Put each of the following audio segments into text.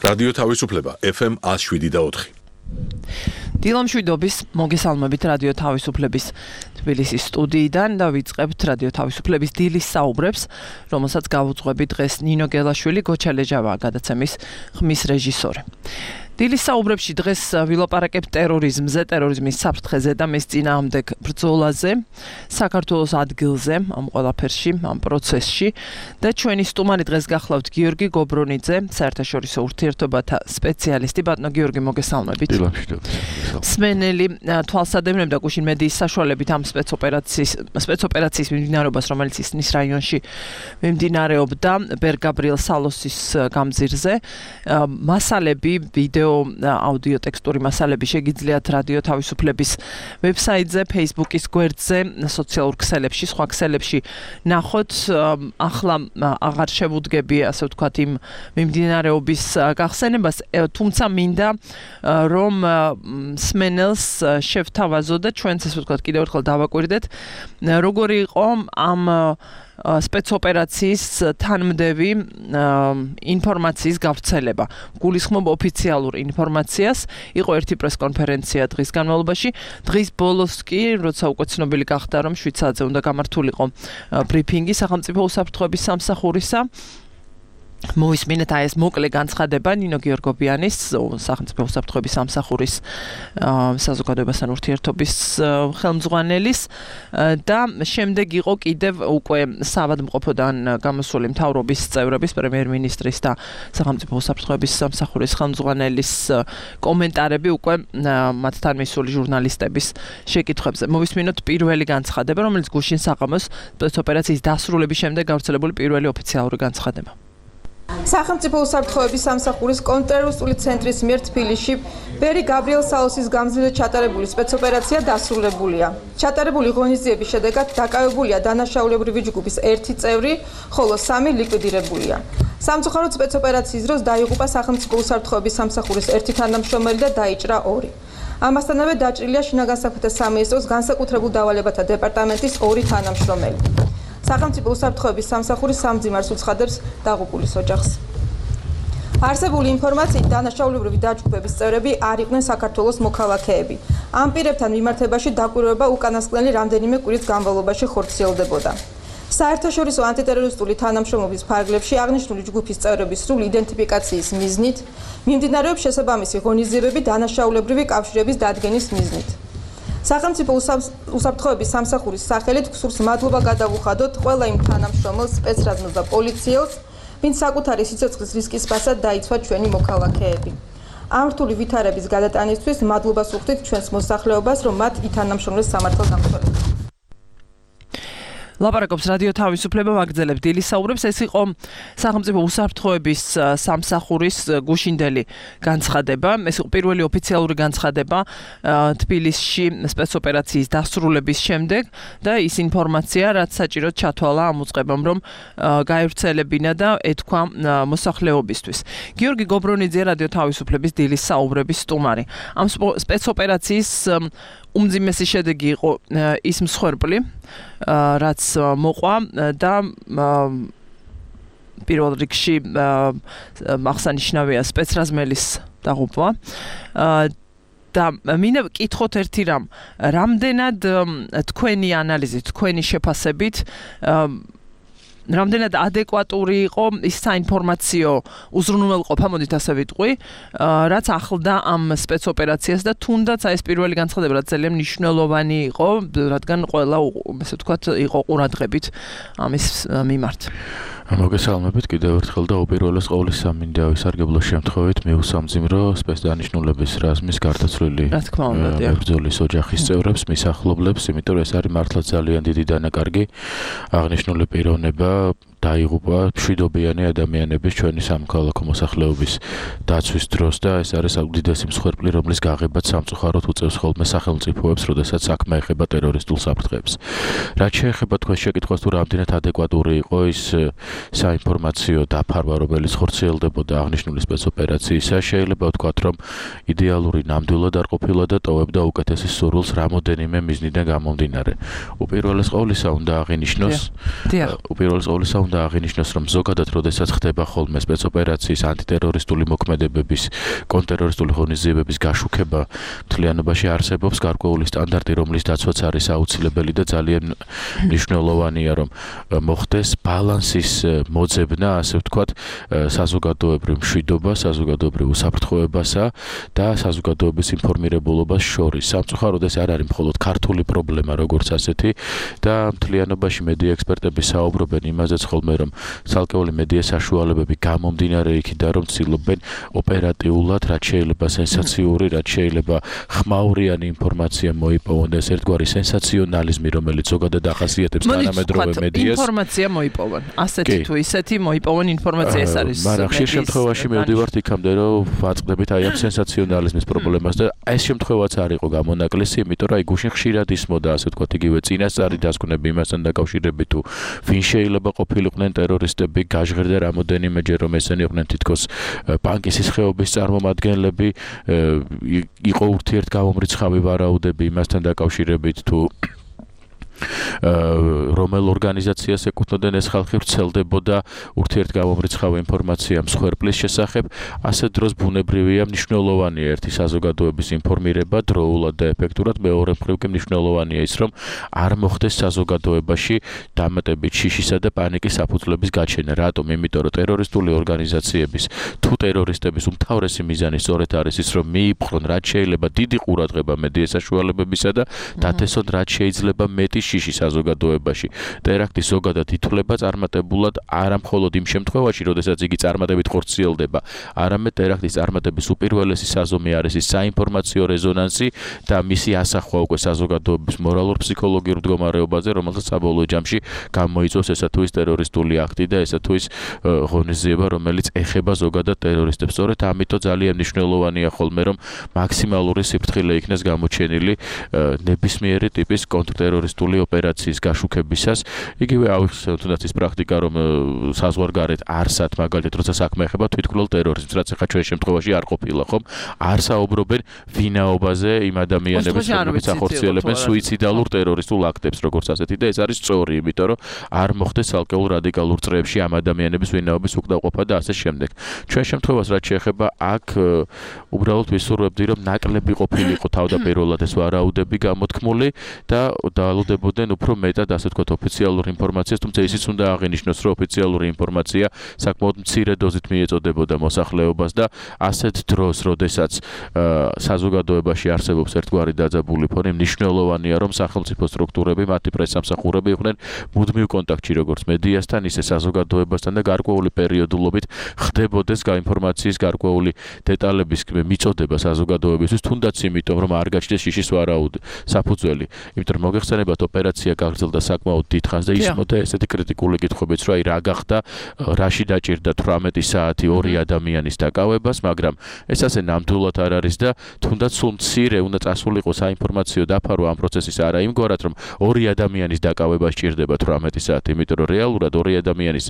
რადიო თავისუფლება FM 107.4. დილამშვიდობის მოგესალმებით რადიო თავისუფლების თბილისის სტუდიიდან და ვიწყებთ რადიო თავისუფლების დილის საუბრებს, რომელსაც გავუძღვები დღეს ნინო გელაშვილი, გოჩალეჯავაა გადაცემის ხმის რეჟისორი. დილის საუბრებში დღეს ვილაპარაკებთ ტერორიზმზე, ტერორიზმის საფრთხეზე და მის წინააღმდეგ ბრძოლაზე, საქართველოს ადგილზე, ამ ყველაფერში, ამ პროცესში და ჩვენი სტუმარი დღეს გახლავთ გიორგი გობრონიძე, საერთაშორისო ურთიერთობათა სპეციალისტი. ბატონო გიორგი, მოგესალმებით. მსმენელი თვალსადევნებ და გუშინ მედიის საშუალებით ამ სპეცოპერაციის მიმდინარეობას, რომელიც ისნის რაიონში მიმდინარეობდა ბერ-გაბრიელ სალოსის გამზირზე, მასალები, ვიდეო აუდიო ტექსტური მასალები შეგიძლიათ რადიო თავისუფლების ვებსაიტზე, Facebook-ის გვერდზე, სოციალურ ქსელებში, სხვა ქსელებში ნახოთ. ახლა აღარ შევუდგები, ასე ვთქვათ, იმ მიმდინარეობის გახსენებას, თუმცა მინდა რომ მსმენელს შევთავაზო და ჩვენც, ასე ვთქვათ, კიდევ ერთხელ დავაკვირდეთ, როგორი იყო ამ სპეცოპერაციის თანმდევი ინფორმაციის გავრცელება. გულისხმობ ოფიციალურ ინფორმაციას. იყო ერთი პრესკონფერენცია დღის განმავლობაში. დღის ბოლოს კი, როცა უკვე ცნობილი გახდა, რომ 7 საათზე უნდა გამართულიყო ბრიფინგი სახელმწიფო უსაფრთხოების სამსახურისა. მოვისმინეთ აი ეს მოკლე განცხადება ნინო გიორგობიანის, სახელმწიფო უსაფრთხოების სამსახურის საზოგადოებასთან ურთიერთობის ხელმძღვანელის და შემდეგ იყო კიდევ უკვე საავადმყოფოდან გამოსული მთავრობის წევრების, პრემიერ-მინისტრის და სახელმწიფო უსაფრთხოების სამსახურის ხელმძღვანელის კომენტარები უკვე მათთან მისული ჟურნალისტების შეკითხვებზე. მოვისმინოთ პირველი განცხადება, რომელიც გუშინ საღამოს სპეცოპერაციის დასრულების შემდეგ გავრცელებული პირველი ოფიციალური განცხადება. სახელმწიფო უსაფრთხოების სამსახურის კონტრterroristული ცენტრის მიერ თბილისში ბერი-გაბრიელ სალოსის გამზირზე ჩატარებული სპეცოპერაცია დასრულებულია. ჩატარებული ღონისძიების შედეგად დაკავებულია დანაშაულებრივი ჯგუფის 1 წევრი, ხოლო 3 ლიკვიდირებულია. სამწუხაროდ სპეცოპერაციის დროს დაიღუპა სახელმწიფო უსაფრთხოების სამსახურის 1 თანამშრომელი და დაიჭრა 2. ამასთანავე დაჭრილია შინაგან საქმეთა სამინისტროს განსაკუთრებულ დავალებათა დეპარტამენტის 2 თანამშრომელი. სახელმწიფო უსაფრთხოების სამსახური სამძიმარს უცხადებს დაღუპულის ოჯახს. არსებული ინფორმაციით დანაშაულებრივი დაჯგუფების წევრები არ იყვნენ საქართველოს მოქალაქეები. ამ პირებთან მიმართებაში დაკვირვება უკანასკნელი რამდენიმე კვირის განმავლობაში ხორციელდებოდა. საერთაშორისო ანტიტერორისტული თანამშრომლობის ფარგლებში აღნიშნული ჯგუფის წევრების სრული იდენტიფიკაციის მიზნით მიმდინარეობს შესაბამისი ღონისძიებები დანაშაულებრივი კავშირების დადგენის მიზნით. სახელმწიფო უსაფრთხოების სამსახურის სახელით გსურს მადლობა გადავუხადოთ ყველა იმ თანამშრომელს, სპეცრაზმს და პოლიციელს, ვინც საკუთარი სიცოცხლის რისკის პასად დაიცვა ჩვენი მოქალაქეები. ამ რთული ვითარების გადატანისთვის მადლობას ვუხდით ჩვენს მოსახლეობას, რომ მათ ითანამშრომლეს სამართალ დამცველად. ლაპარაკობს რადიო თავისუფლება, ვაგრძელებთ დილის საუბრებს. ეს იყო სახელმწიფო უსაფრთხოების სამსახურის გუშინდელი განცხადება. ეს იყო პირველი ოფიციალური განცხადება თბილისში სპეცოპერაციის დასრულების შემდეგ და ის ინფორმაცია, რაც საჭიროდ ჩათვალა ამ უწყებამ, რომ გაევრცელებინა და ეთქვა მოსახლეობისთვის. გიორგი გობრონიძე, რადიო თავისუფლების დილის საუბრების სტუმარი. ამ სპეცოპერაციის უმძიმესი შედეგი იყო ის მსხვერპლი, რაც მოყვა და პირველ რიგში აღსანიშნავია სპეცრაზმელის დაღუპვა. და მინდა ვკითხოთ ერთი რამ, რამდენად თქვენი ანალიზით, თქვენი შეფასებით რამდენად ადეკვატური იყო ის საინფორმაციო უზრუნველყოფა, მოდით ასე ვიტყვი, რაც ახლდა ამ სპეცოპერაციას და თუნდაც ეს პირველი განცხადება რაც ძალიან მნიშვნელოვანი იყო, რადგან ყველა, ასე ვთქვათ, იყო ყურადღებით ამის მიმართ. მოგესალმებით კიდევ ერთხელ და უპირველეს ყოვლისა მინდა ვისარგებლო შემთხვევით მიუსამძიმრო სპეცდანიშნულების რაზმის გარდაცვლილი ბრძოლის ოჯახის წევრებს, მის ახლობლებს, იმიტომ რომ ეს არის მართლაც ძალიან დიდი დანაკარგი აღნიშნული პიროვნება დაიღუპა მშვიდობიანი ადამიანების ჩვენი სამოქალაქო მოსახლეობის დაცვის დროს და ეს არის უდიდესი მსხვერპლი, რომლის გაღებაც სამწუხაროდ უწევს ხოლმე სახელმწიფოებს, როდესაც საქმე ეხება ტერორისტულ საფრთხეებს. რაც შეეხება თქვენ შეკითხვას თუ რამდენად ადეკვატური იყო ის საინფორმაციო დაფარვა, რომელიც ხორციელდებოდა აღნიშნული სპეცოპერაციისა, შეიძლება ვთქვათ, რომ იდეალური ნამდვილად არ ყოფილა და ტოვებდა უკეთესის სურვილს რამოდენიმე მიზნიდან გამომდინარე. უპირველეს ყოვლისა უნდა აღინიშნოს უნდა აღინიშნოს, რომ ზოგადად როდესაც ხდება ხოლმე სპეცოპერაციის, ანტიტერორისტული მოქმედებების, კონტრტერორისტული ღონისძიებების გაშუქება, მთლიანობაში არსებობს გარკვეული სტანდარტი, რომლის დაცვაც არის აუცილებელი და ძალიან მნიშვნელოვანია, რომ მოხდეს ბალანსის მოძებნა, ასე ვთქვათ, საზოგადოებრივ მშვიდობას, საზოგადოებრივ უსაფრთხოებასა და საზოგადოების ინფორმირებულობას შორის. სამწუხაროდ ეს არ არის მხოლოდ ქართული პრობლემა, როგორც ასეთი და მთლიანობაში მედია ექსპერტები საუბრობენ იმაზეც ხოლმე, რომ ცალკეული მედია საშუალებები გამომდინარე იქიდან, რომ ცდილობენ ოპერატიულად, რაც შეიძლება სენსაციური, რაც შეიძლება ხმაურიანი ინფორმაცია მოიპოვონ და ეს ერთგვარი სენსაციონალიზმი, რომელიც ზოგადად ახასიათებს თანამედროვე მედიას. ინფორმაცია მოიპოვონ. ასეთი თუ ისეთი მოიპოვონ ინფორმაცია ეს არის. მაგრამ ხშირ შემთხვევაში მივდივართ იქამდე, რომ ვაწყდებით აი ამ სენსაციონალიზმის პრობლემას და ეს შემთხვევაც არ იყო გამონაკლისი, იმიტომ რომ აი გუშინ ხშირად ისმოდა, ასე ვთქვათ, იგივე წინასწარი დასკვნები იმასთან დაკავშირებით თუ ვინ შეიძლება ყოფილიყვნენ ტერორისტები, გაჟღერდა რამოდენიმეჯერ რომ ესენი იყვნენ თითქოს პანკისის ხეობის წარმომადგენლები, იყო ურთიერთგამომრიცხავი ვარაუდები იმასთან დაკავშირებით თუ რომელ ორგანიზაციას ეკუთვნოდნენ ეს ხალხი ვრცელდებოდა ურთიერთგამომრიცხავი ინფორმაცია მსხვერპლის შესახებ, ასე დროს ბუნებრივია მნიშვნელოვანია ერთი საზოგადოების ინფორმირება დროულად და ეფექტურად, მეორე მხრივ კი მნიშვნელოვანია ის, რომ არ მოხდეს საზოგადოებაში დამატებით შიშისა და პანიკის საფუძვლების გაჩენა. რატომ? იმიტომ რომ ტერორისტული ორგანიზაციების თუ ტერორისტების უმთავრესი მიზანი სწორედ არის ის, რომ მიიპყრონ რაც შეიძლება დიდი ყურადღება მედია საშუალებებისა და დათესონ რაც შეიძლება მეტი შიში საზოგადოებაში. ტერაქტი ზოგადად ითვლება წარმატებულად არა მხოლოდ იმ შემთხვევაში, როდესაც იგი წარმატებით ხორციელდება, არამედ ტერაქტის წარმატების უპირველესი საზომი არის ის საინფორმაციო რეზონანსი და მისი ასახვა უკვე საზოგადოების მორალურ-ფსიქოლოგიურ მდგომარეობაზე, რომელსაც საბოლოო ჯამში გამოიწვევს ესა თუ ის ტერორისტული აქტი და ესა თუ ის ღონისძიება, რომელიც ეხება ზოგადად ტერორისტებს. სწორედ ამიტომ ძალიან მნიშვნელოვანია ხოლმე, რომ მაქსიმალური სიფრთხილე იქნეს გამოჩენილი ნებისმიერი ტიპის კონტრტერორისტული ოპერაციის გაშუქებისას. იგივე ავიხსენოთ თუნდაც ის პრაქტიკა, რომ საზღვარგარეთ არსად მაგალითად როცა საქმე ეხება თვითმკვლელ ტერორიზმს, რაც ახლა ჩვენ შემთხვევაში არ ყოფილა, ხომ? არ საუბრობენ ვინაობაზე იმ ადამიანების, რომლებიც ახორციელებენ სუიციდალურ ტერორისტულ აქტებს, როგორც ასეთი და ეს არის სწორი, იმიტომ რომ არ მოხდეს ცალკეულ რადიკალურ წრეებში ამ ადამიანების ვინაობის უკდავყოფა და ასე შემდეგ. ჩვენ შემთხვევას რაც შეეხება აქ უბრალოდ ვისურვებდი, რომ ნაკლები ყოფილიყო თავდაპირველად ეს ვარაუდები გამოთქმული და დაალოდებოდნენ უფრო მეტად, ასე ვთქვათ, ოფიციალურ ინფორმაციას, თუმცა ისიც უნდა აღინიშნოს, რომ ოფიციალური ინფორმაცია საკმაოდ მცირე დოზით მიეწოდებოდა მოსახლეობას და ასეთ დროს, როდესაც საზოგადოებაში არსებობს ერთგვარი დაძაბული ფონი, მნიშვნელოვანია, რომ სახელმწიფო სტრუქტურები, მათი პრესამსახურები იყვნენ მუდმივ კონტაქტში როგორც მედიასთან, ისე საზოგადოებასთან და გარკვეული პერიოდულობით ხდებოდეს ინფორმაციის გარკვეული დეტალების მიწოდება საზოგადოებისთვის, თუნდაც იმიტომ, რომ არ გაჩნდეს შიშის ვარაუდი საფუძველი. იმიტომ რომ მოგეხსენებათ, ოპერაცია გაგრძელდა საკმაოდ დიდხანს და ისმოდა ესეთი კრიტიკული კითხვებიც, რომ აი რა გახდა, რაში დაჭირდა 18 საათი ორი ადამიანის დაკავებას, მაგრამ ეს ასე ნამდვილად არ არის და თუნდაც სულ მცირე უნდა წასულიყო საინფორმაციო დაფარვა ამ პროცესის არა იმგვარად, რომ ორი ადამიანის დაკავება სჭირდება 18 საათი, იმიტომ რომ რეალურად ორი ადამიანის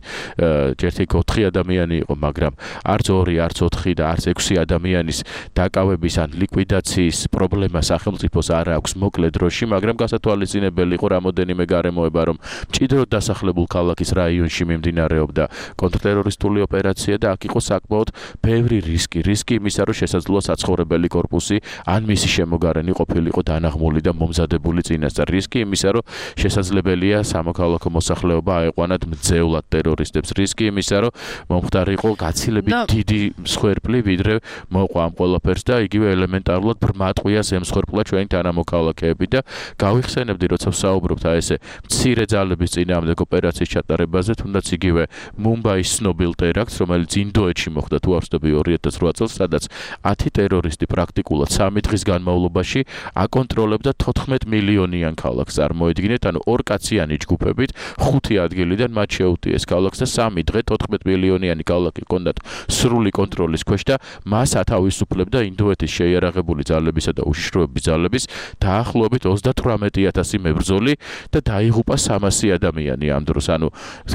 ერთი 4 ადამიანი იყო, მაგრამ არც 2, არც 4 და არც 6 ადამიანის დაკავების ან ლიკვიდაციის პრობლემა სახელმწიფოს არ აქვს მოკლე დროში, მაგრამ გასათვალისწინებელი იყო რამოდენიმე გარემოება, რომ მჭიდროდ დასახლებულ ქალაქის რაიონში მიმდინარეობდა კონტრტერორისტული ოპერაცია და აქ იყო საკმაოდ ბევრი რისკი იმისა, რომ შესაძლოა საცხოვრებელი კორპუსი ან მისი შემოგარენი ყოფილიყო დანაღმული და მომზადებული წინასწარ. რისკი იმისა, რომ შესაძლებელია სამოქალაქო მოსახლეობა აეყვანათ მძევლად ტერორისტებს. რისკი იმისა, რომ მომხდარიყო გაცილებით დიდი მსხვერპლი, ვიდრე მოყვა ამ ყველაფერს და იგივე ელემენტარულად ბრმატყვია ზემსხვერპლა ჩვენი თანამოქალაქეები და გავიხსენებდი, როცა ვსაუბრობთ აი ესე მცირე ძალების წინააღმდეგ ოპერაციის ჩატარებაზე, თუნდაც იგივე მუმბაის ცნობილ ტერაქტს, რომელიც ინდოეთში მოხდა თუ არ ვცდები 2008 წელს, სადაც 10 ტერორისტი პრაქტიკულად 3 დღის განმავლობაში აკონტროლებდა 14 მილიონიან ქალაქს. წარმოიდგინეთ, ანუ ორკაციანი ჯგუფებით 5 ადგილიდან მათ შეუტიეს ქალაქს და 3 დღე 14 მილიონიანი ქალაქი ჰქონდათ სრული კონტროლის ქვეშ და მას ათავისუფლებდა ინდოეთის შეიარაღებული ძალებისა და უშიშროების ძალების დაახლოებით 38000 მებრძოლი და დაიღუპა 300 ადამიანი ამ დროს. ანუ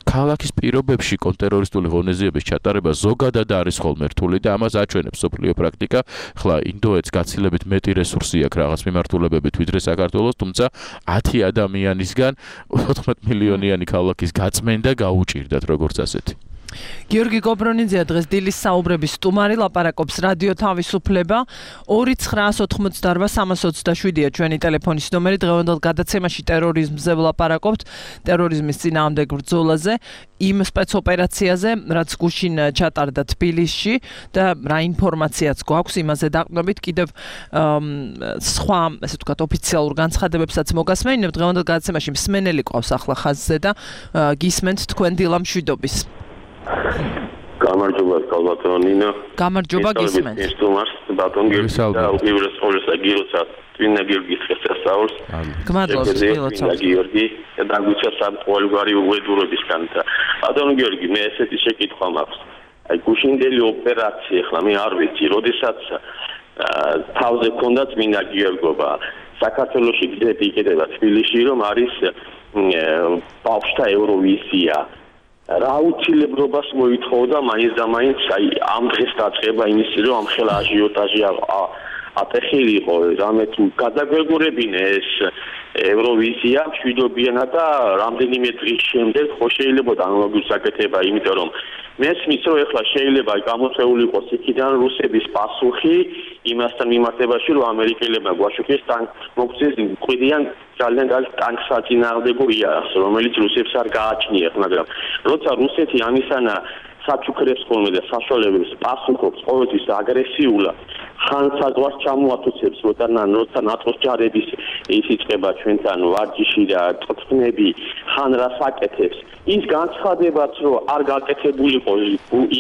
ქალაქის პირობებში კონტრტერორისტული ღონისძიების ჩატარება ზოგადად არის ხოლმე რთული და ამას აჩვენებს სოფლიო პრაქტიკა. ხლა ინდოეთს გაცილებით მეტი რესურსი აქვს რაღაც მიმართულებებით ვიდრე საქართველოს, თუმცა 10 ადამიანისგან 14 მილიონიანი ქალაქის გაწმენდა გაუჭირდათ როგორც ასეთი. გიორგი გობრონიძეა დღეს დილის საუბრების სტუმარი, ლაპარაკობს რადიო თავისუფლება 2988327-ია ჩვენი ტელეფონის ნომერი. დღევანდელ გადაცემაში ტერორიზმზე ვლაპარაკობთ, ტერორიზმის წინააღმდეგ ბრძოლაზე, იმ სპეცოპერაციაზე, რაც გუშინ ჩატარდა თბილისში და რა ინფორმაციაც გვაქვს იმაზე დაყრდნობით. კიდევ სხვა, ესე ვთქვათ, ოფიციალურ განცხადებებსაც მოგასმენინებთ. დღევანდელ გადაცემაში მსმენელი ყავს ახლა ხაზზე და გისმენთ თქვენ დილა მშვიდობის. გამარჯობა კალბატონინა. გამარჯობა გისმენთ. სტუმარს ბატონ გიორგი და უპირველეს ყოვლისა გილოცავ წინა გიორგის შესასწავლს. გმადლობთ გილოცავ. გიორგი და დაგვიჩა სამყოლგვარი უღედურებისგან და ბატონ გიორგი მე ესეთი შეკითხვა მაქვს. აი გუშინდელი ოპერაცია ხლა მე არ ვიცი, როდესაც თავზე ქონდა წინა გიორგობა საქართველოში გზები იქნება თბილისში რომ არის ბავშვთა ევროვიზია. რა უცილებლობას მოითხოვდა მაინც და მაინც აი ამ დღეს დაწყება იმის რომ ამ ხელა აჟიოტაჟი ატეხილიყო რამე თუ გადაგვეგურებინე ეს ევროვიზია მშვიდობიანა და რამდენიმე დღის შემდეგ ხო შეიძლება ანალოგიურ საკეთება იმიტომ რომ მესმის რომ ეხლა შეიძლება გამოწეული იყოს იქიდან რუსების პასუხი იმასთან მიმართებაში რომ ამერიკელებმა გვაშუქეს მოგწეს მკვიდრიან ძალიან კარგი ტანკსაწინააღმდეგო იარაღს რომელიც რუსებს არ გააჩნიათ მაგრამ როცა რუსეთი ამისანა საჩუქრებს ხოლმე და საშუალებებს პასუხობს ყოველთვის აგრესიულად ხან საზღვარს ჩამოათუცებს როცა ნატოს ჯარების ის იწყება ჩვენთან ვარჯიში და წწნები ხან რას აკეთებს ის განცხადებაც რომ არ გაკეთებულიყო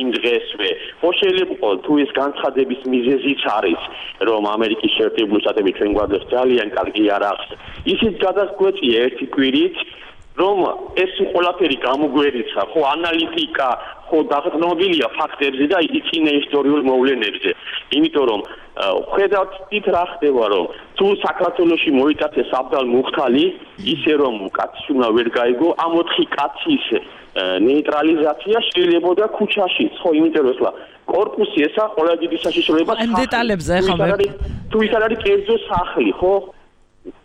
იმ დღესვე ხო შეიძლება თუ ეს განცხადების მიზეზიც არის რომ ამერიკის შეერთებული შტატები ჩვენ გვაძლევს ძალიან კარგი იარაღს ისიც გადასკვეწია ერთი კვირით რომ ეს ყველაფერი გამოგვერიცა ხო ანალიტიკა ხო დაღწნობილია ფაქტებზე და იწინა ისტორიულ მოვლენებზე იმიტომ რომ ხედავთ თით რა ხდება რომ თუ საქართველოში მოიტაცეს აბდალ მუხთალი ისე რომ კაცი უნდა ვერ გაიგო ამ 4 კაცის ნეიტრალიზაცია შეიძლება და ქუჩაშიც ხო იმიტომ რომ ესლა კორპუსი ესა ყველა დიდი საშიშროება ამ დეტალებზე ახლა თუ ის არ არის კერძო სახლი ხო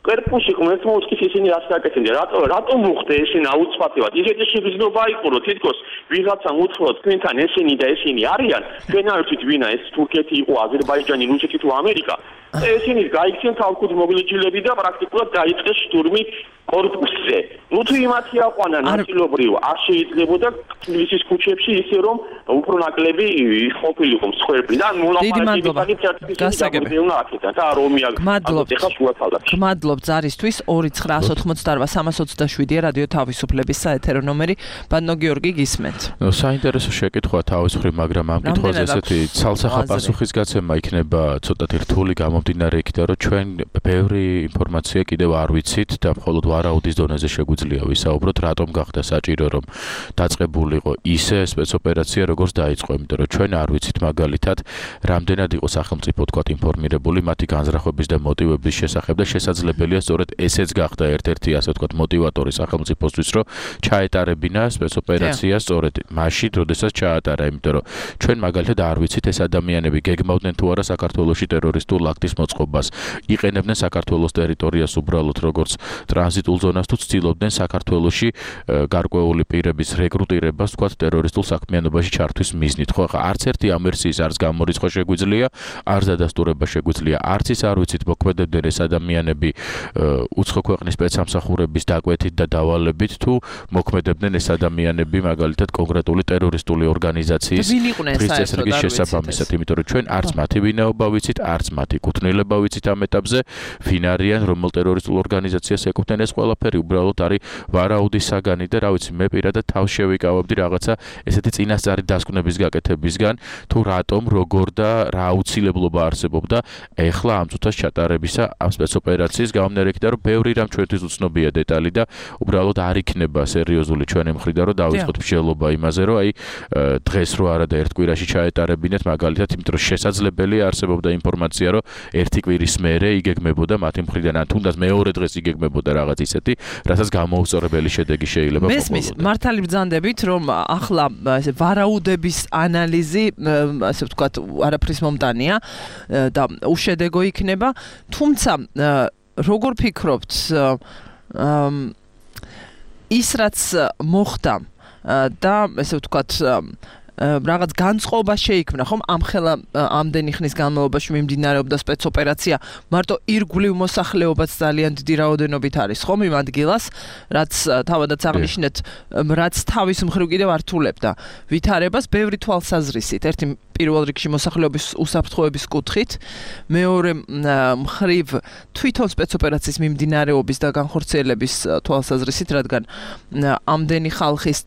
კერპუში ხმეთ მოუწკის ისინი რას გაკეთებდნენ რატომ მოხდა ესენი აუცილებლად ისეთი შეგრძნობა იყო რომ თითქოს ვიღაცამ უთხროთ თქვენთან ესენი და ესენი არიან თქვენ არ ვიცით ვინა ეს თურქეთი იყო აზერბაიჯანი რუსეთი თუ ამერიკა ესენი გაიქცნენ თავკუთ მოგლიჯილები და პრაქტიკულად დაიწყეს შტურმი კორპუსზე ნუ თუ იმათი აყვანა ნაწილობრივ არ შეიძლებოდა თბილისის ქუჩებში ისე რომ უფრო ნაკლები ყოფილიყო მსხვერპლი და მადლობ ზარისთვის 2988327-ია რადიო თავისუფლების საეთერო ნომერი ბატონო გიორგი გისმენთ. საინტერესო შეკითხვაა თავისუფლი, მაგრამ ამ კითხვაზე ესეთი ცალსახა პასუხისგაცემა იქნება ცოტათი რთული გამომდინარე იქიდან, რომ ჩვენ ბევრი ინფორმაცია კიდევ არ ვიცით და მხოლოდ ვარაუდის დონეზე შეგვიძლია ვისაუბროთ, რატომ გახდა საჭირო რომ დაწყებულიყო ისე სპეცოპერაცია, როგორც დაიწყო, იმიტომ რომ ჩვენ არ ვიცით მაგალითად, რამდენად იყო სახელმწიფო თქვათ ინფორმირებული მათი განზრახვების და მოტივების შესახებ და შესაძლებელია სწორედ ესეც გახდა ერთ-ერთი ასე ვთქვათ მოტივატორი სახელმწიფოსთვის რომ ჩაეტარებინა სპეცოპერაცია სწორედ მაშინ, როდესაც ჩაატარა, იმიტომ რომ ჩვენ მაგალითად არ ვიცით ეს ადამიანები გეგმავდნენ თუ არა საქართველოში ტერორისტულ აქტის მოწყობას, იყენებდნენ საქართველოს ტერიტორიას უბრალოდ როგორც ტრანზიტულ ზონას თუ ცდილობდნენ საქართველოში გარკვეული პირების რეკრუტირებას ვთქვათ ტერორისტულ საქმიანობაში ჩართვის მიზნით. ხო, ხა არც ერთი ამ ვერსიის არც გამორიცხვა შეგვიძლია, არც დადასტურება შეგვიძლია, არც ის არ ვიცით მოქმედებდნენ ეს ადამიანები უცხო ქვეყნის სპეცსამსახურების დაკვეთით და დავალებით თუ მოქმედებდნენ ეს ადამიანები მაგალითად კონკრეტული ტერორისტული ორგანიზაციის წესრიგის შესაბამისად, იმიტომ რომ ჩვენ არც მათი ვინაობა ვიცით, არც მათი კუთვნილება ვიცით ამ ეტაპზე, ვინ არიან, რომელ ტერორისტულ ორგანიზაციას ეკუთვნენ ეს ყველაფერი უბრალოდ არის არის ვარაუდის საგანი და რა ვიცი მე პირადად თავს შევიკავებდი რაღაცა ესეთი წინასწარი დასკვნების გაკეთებისგან თუ რატომ როგორ და რა აუცილებლობა არსებობდა ეხლა ამ წუთას ჩატარებისა ამ სპეცოპერაციის გამომდინარე იქიდან რომ ბევრი რამ ჩვენთვის უცნობია დეტალი და უბრალოდ არ იქნება სერიოზული ჩვენი მხრიდან რომ დავიწყოთ მსჯელობა იმაზე რომ აი დღეს რო არა და ერთ კვირაში ჩაეტარებინეთ მაგალითად იმიტომ რომ შესაძლებელია არსებობდა ინფორმაცია რომ ერთი კვირის მერე იგეგმებოდა მათი მხრიდან ან თუნდაც მეორე დღეს იგეგმებოდა რაღაც ისეთი რასაც გამოუწორებელი შედეგი შეიძლება მოყოლოდა. მესმის მართალი ბრძანდებით რომ ახლა ესე ვარაუდების ანალიზი ასე ვთქვათ არაფრის მომტანია და უშედეგო იქნება თუმცა როგორ ფიქრობთ ის რაც მოხდა და ესე ვთქვათ რაღაც განწყობა შეიქმნა ხომ ამხელა ამდენი ხნის განმავლობაში მიმდინარეობდა სპეცოპერაცია მარტო ირგვლივ მოსახლეობაც ძალიან დიდი რაოდენობით არის ხომ იმ ადგილას რაც თავადაც აღნიშნეთ რაც თავის მხრივ კიდევ ართულებდა ვითარებას ბევრი თვალსაზრისით ერთი პირველ რიგში მოსახლეობის უსაფრთხოების კუთხით მეორე მხრივ თვითონ სპეცოპერაციის მიმდინარეობის და განხორციელების თვალსაზრისით რადგან ამდენი ხალხის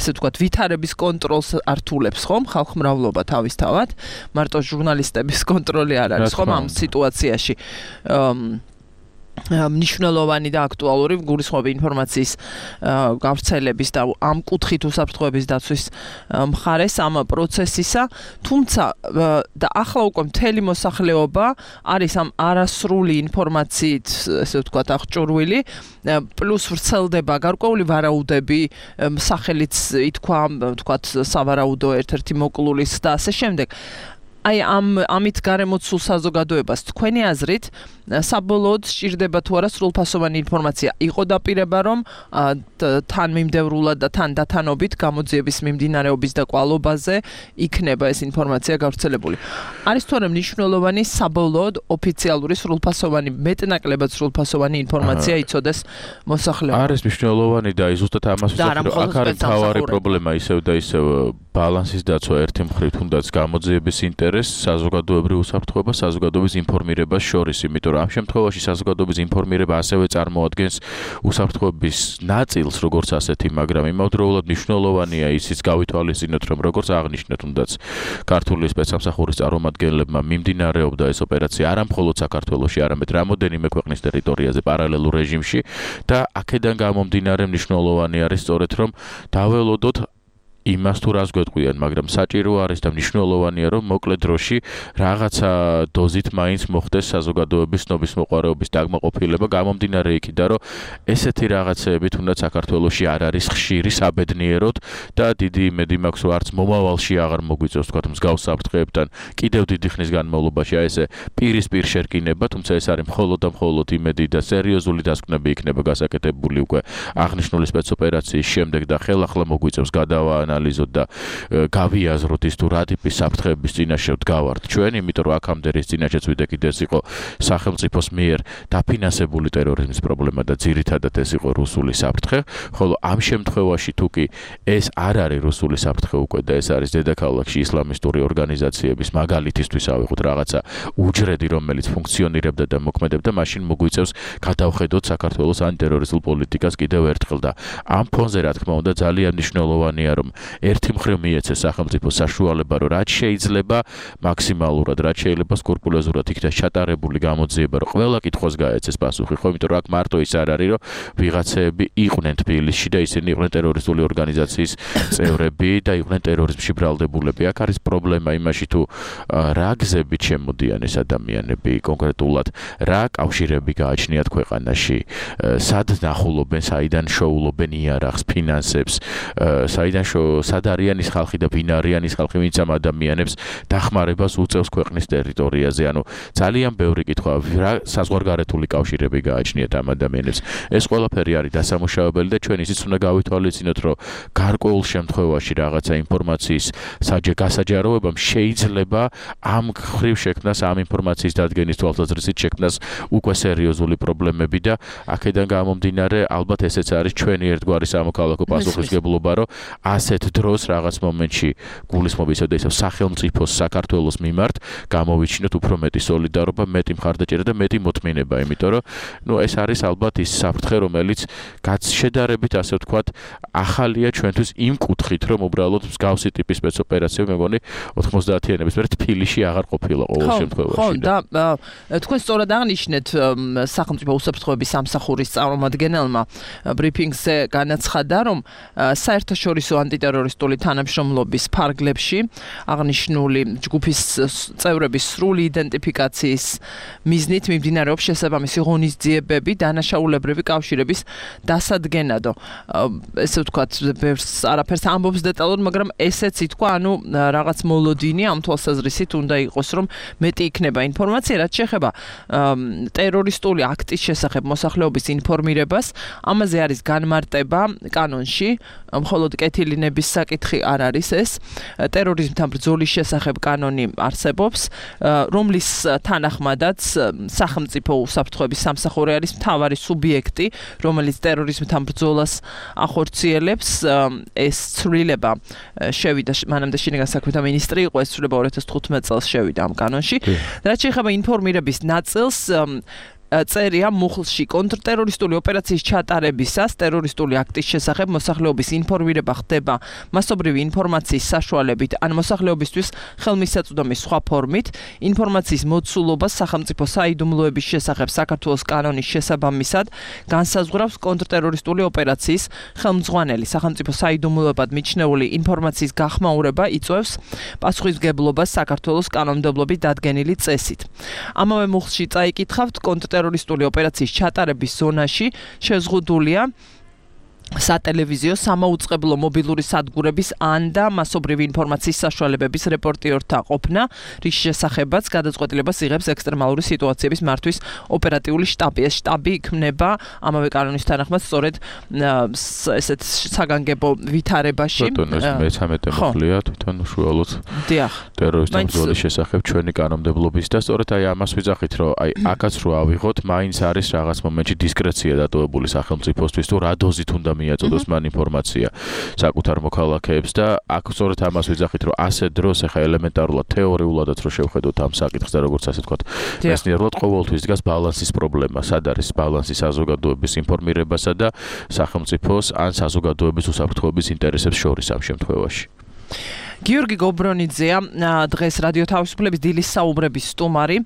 ესე ვთქვათ ვითარების კონტროლს ართულებს ხომ ხალხმრავლობა თავისთავად მარტო ჟურნალისტების კონტროლი არ არის ხომ ამ სიტუაციაში მნიშვნელოვანი და აქტუალური გულისხმობი ინფორმაციის გავრცელების და ამ კუთხით უსაფრთხოების დაცვის მხარეს ამ პროცესისა თუმცა და ახლა უკვე მთელი მოსახლეობა არის ამ არასრული ინფორმაციით ესე ვთქვათ აღჭურვილი პლუს ვრცელდება გარკვეული ვარაუდები სახელიც ითქვა ვთქვათ სავარაუდო ერთ-ერთი მოკლულის და ასე შემდეგ აი ამით გარემოცულ საზოგადოებას თქვენი აზრით საბოლოოდ სჭირდება თუ არა სრულფასოვანი ინფორმაცია იყო დაპირება რომ თან მიმდევრულად და თან დათანობით გამოძიების მიმდინარეობის და კვალობაზე იქნება ეს ინფორმაცია გავრცელებული არის თუ არა მნიშვნელოვანი საბოლოოდ ოფიციალური სრულფასოვანი მეტნაკლებად სრულფასოვანი ინფორმაცია იცოდეს მოსახლეობა არის მნიშვნელოვანი და ზუსტად ამას ვსაუბრობ აქ არის თავარი პრობლემა ისევ და ისევ ბალანსის დაცვა ერთი მხრივ თუნდაც გამოძიების ინტერესს საზოგადოებრივ უსაფრთხოებას საზოგადოების ინფორმირებას შორის იმიტომ ამ შემთხვევაში საზოგადოების ინფორმირება ასევე წარმოადგენს უსაფრთხოების ნაწილს როგორც ასეთი, მაგრამ იმავდროულად მნიშვნელოვანია ისიც გავითვალისწინოთ, რომ როგორც აღნიშნეთ, თუნდაც ქართული სპეცსამსახურის წარმომადგენლებმა მიმდინარეობდა ეს ოპერაცია არა მხოლოდ საქართველოში, არამედ რამოდენიმე ქვეყნის ტერიტორიაზე პარალელურ რეჟიმში და აქედან გამომდინარე მნიშვნელოვანი არის სწორედ რომ დაველოდოთ იმას თუ რას გვეტყვიან, მაგრამ საჭირო არის და მნიშვნელოვანია, რომ მოკლე დროში რაღაცა დოზით მაინც მოხდეს საზოგადოების ცნობის მოყვარეობის დაკმაყოფილება გამომდინარე იქიდან, რომ ესეთი რაღაცეები თუნდაც საქართველოში არ არის ხშირი საბედნიეროდ და დიდი იმედი მაქვს, რომ არც მომავალში აღარ მოგვიწევს თქვათ მსგავს საფრთხეებთან კიდევ დიდი ხნის განმავლობაში აი ესე პირისპირ შერკინება, თუმცა ეს არის მხოლოდ და მხოლოდ იმედი და სერიოზული დასკვნები იქნება გასაკეთებული უკვე აღნიშნული სპეცოპერაციის შემდეგ და ხელახლა მოგვიწევს გადავა ანალიზოთ და გავიაზროთ ის თუ რა ტიპის საფრთხეების წინაშე ვდგავართ ჩვენ, იმიტომ რომ აქამდე რის წინაშეც ვიდექით ეს იყო სახელმწიფოს მიერ დაფინანსებული ტერორიზმის პრობლემა და ძირითადად ეს იყო რუსული საფრთხე, ხოლო ამ შემთხვევაში თუ კი ეს არ არის რუსული საფრთხე უკვე და ეს არის დედაქალაქში ისლამისტური ორგანიზაციების მაგალითისთვის ავიღოთ რაღაცა უჯრედი, რომელიც ფუნქციონირებდა და მოქმედებდა, მაშინ მოგვიწევს გადავხედოთ საქართველოს ანტიტერორისტულ პოლიტიკას კიდევ ერთხელ და ამ ფონზე რა თქმა უნდა ძალიან მნიშვნელოვანია რომ ერთი მხრივ მიეცეს სახელმწიფოს საშუალება რომ რაც შეიძლება მაქსიმალურად რაც შეიძლება სკრუპულოზურად იქნას ჩატარებული გამოძიება რომ ყველა კითხვას გაეცეს პასუხი ხო იმიტომ რომ აქ მარტო ის არ არის რომ ვიღაცეები იყვნენ თბილისში და ისინი იყვნენ ტერორისტული ორგანიზაციის წევრები და იყვნენ ტერორიზმში ბრალდებულები აქ არის პრობლემა იმაში თუ რა გზებით შემოდიან ეს ადამიანები კონკრეტულად რა კავშირები გააჩნიათ ქვეყანაში სად ნახულობენ საიდან შოულობენ იარაღს ფინანსებს საიდან სად არიან ის ხალხი და ვინ არიან ის ხალხი ვინც ამ ადამიანებს დახმარებას უწევს ქვეყნის ტერიტორიაზე ანუ ძალიან ბევრი კითხვა რა საზღვარგარეთული კავშირები გააჩნიათ ამ ადამიანებს ეს ყველაფერი არის დასამუშავებელი და ჩვენ ისიც უნდა გავითვალისწინოთ რომ გარკვეულ შემთხვევაში რაღაცა ინფორმაციის გასაჯაროებამ შეიძლება ამ ხრივ შექმნას ამ ინფორმაციის დადგენის თვალსაზრისით შექმნას უკვე სერიოზული პრობლემები და აქედან გამომდინარე ალბათ ესეც არის ჩვენი ერთგვარი სამოქალაქო პასუხისმგებლობა რომ ასეთ დროს რაღაც მომენტში გულისხმობის ოდესავ სახელმწიფოს საქართველოს მიმართ გამოვიჩინოთ უფრო მეტი სოლიდარობა, მეტი მხარდაჭერა და მეტი მოთმინება, იმიტომ რომ ეს არის ალბათ ის საფრთხე, რომელიც შედარებით ასე ვთქვათ, ახალია ჩვენთვის იმ კუთხით, რომ უბრალოდ მსგავსი ტიპის სპეცოპერაციები მეგონი 90-იანების მერე თბილისში აღარ ყოფილა ყოველ შემთხვევაში. ხო, და თქვენ სწორად აღნიშნეთ სახელმწიფო უსაფრთხოების სამსახურის წარმომადგენელმა ბრიფინგზე განაცხადა, რომ საერთაშორისო ანტიტერორისტული თანამშრომლობის ფარგლებში აღნიშნული ჯგუფის წევრების სრული იდენტიფიკაციის მიზნით მიმდინარეობს შესაბამისი ღონისძიებები დანაშაულებრივი კავშირების დასადგენადო. ესე ვთქვათ, არაფერს ამბობს დეტალურად, მაგრამ ესეც ითქვა, ანუ რაღაც მოლოდინი ამ თვალსაზრისით უნდა იყოს, რომ მეტი იქნება ინფორმაცია, რაც შეეხება ტერორისტული აქტის შესახებ მოსახლეობის ინფორმირებას. ამაზე არის განმარტება კანონში, მხოლოდ კეთილინების საკითხი არ არის ეს. ტერორიზმთან ბრძოლის შესახებ კანონი არსებობს, რომლის თანახმადაც სახელმწიფო უსაფრთხოების სამსახური არის მთავარი სუბიექტი, რომელიც ტერორიზმთან ბრძოლას ახორციელებს. ეს ცვლილება შევიდა მანამდე შინაგან საქმეთა მინისტრი იყო, ეს ცვლილება 2015 წელს შევიდა ამ კანონში. რაც შეეხება ინფორმირების ნაწილს, წერია მუხლში კონტრტერორისტული ოპერაციის ჩატარებისას ტერორისტული აქტის შესახებ მოსახლეობის ინფორმირება ხდება მასობრივი ინფორმაციის საშუალებით ან მოსახლეობისთვის ხელმისაწვდომის სხვა ფორმით. ინფორმაციის მოცულობა სახელმწიფო საიდუმლოების შესახებ საქართველოს კანონის შესაბამისად განსაზღვრავს კონტრტერორისტული ოპერაციის ხელმძღვანელი. სახელმწიფო საიდუმლოებად მიჩნეული ინფორმაციის გახმაურება იწვევს პასუხისმგებლობას საქართველოს კანონმდებლობით დადგენილი წესით. ამავე მუხლში წაიკითხავთ ტერორისტული ოპერაციის ჩატარების ზონაში შეზღუდულია სატელევიზიო, სამაუწყებლო მობილური სადგურების ან და მასობრივი ინფორმაციის საშუალებების რეპორტიორთა ყოფნა, რის შესახებაც გადაწყვეტილებას იღებს ექსტრემალური სიტუაციების მართვის ოპერატიული შტაბი. ეს შტაბი იქმნება ამავე კანონის თანახმად სწორედ ესეთ საგანგებო ვითარებაში. მე-13 მოხლია თვითონ უშუალოდ ტერორისტულ ბრძოლის შესახებ ჩვენი კანონმდებლობის და სწორედ აი ამას ვიძახით, რომ აი აქაც რო ავიღოთ, მაინც არის რაღაც მომენტში დისკრეცია დატოვებული სახელმწიფოსთვის, თუ რა დოზით უნდა მიაწოდოს მან ინფორმაცია საკუთარ მოქალაქეებს და აქ სწორედ ამას ვიძახით, რომ ასე დროს ახლა ელემენტარულად თეორიულადაც რო შევხედოთ ამ საკითხს და როგორც ასე ვთქვათ, მეცნიერულად ყოველთვის დგას ბალანსის პრობლემა, სად არის ბალანსი საზოგადოების ინფორმირებასა და სახელმწიფოს ან საზოგადოების უსაფრთხოების ინტერესებს შორის ამ შემთხვევაში. გიორგი გობრონიძეა დღეს რადიო თავისუფლების დილის საუბრების სტუმარი.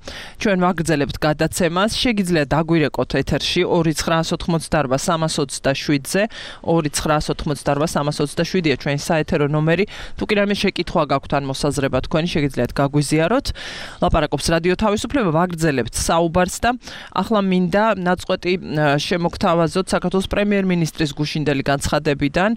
ჩვენ ვაგრძელებთ გადაცემას. შეგიძლიათ დაგვირეკოთ ეთერში 2988327-ზე, 2988327-ია ჩვენი საეთერო ნომერი. თუ კი რამე შეკითხვა გაქვთ ან მოსაზრება თქვენი, შეგიძლიათ გაგვიზიაროთ. ლაპარაკობს რადიო თავისუფლება, ვაგრძელებთ საუბარს და ახლა მინდა ნაწყვეტი შემოგთავაზოთ საქართველოს პრემიერ-მინისტრის გუშინდელი განცხადებიდან.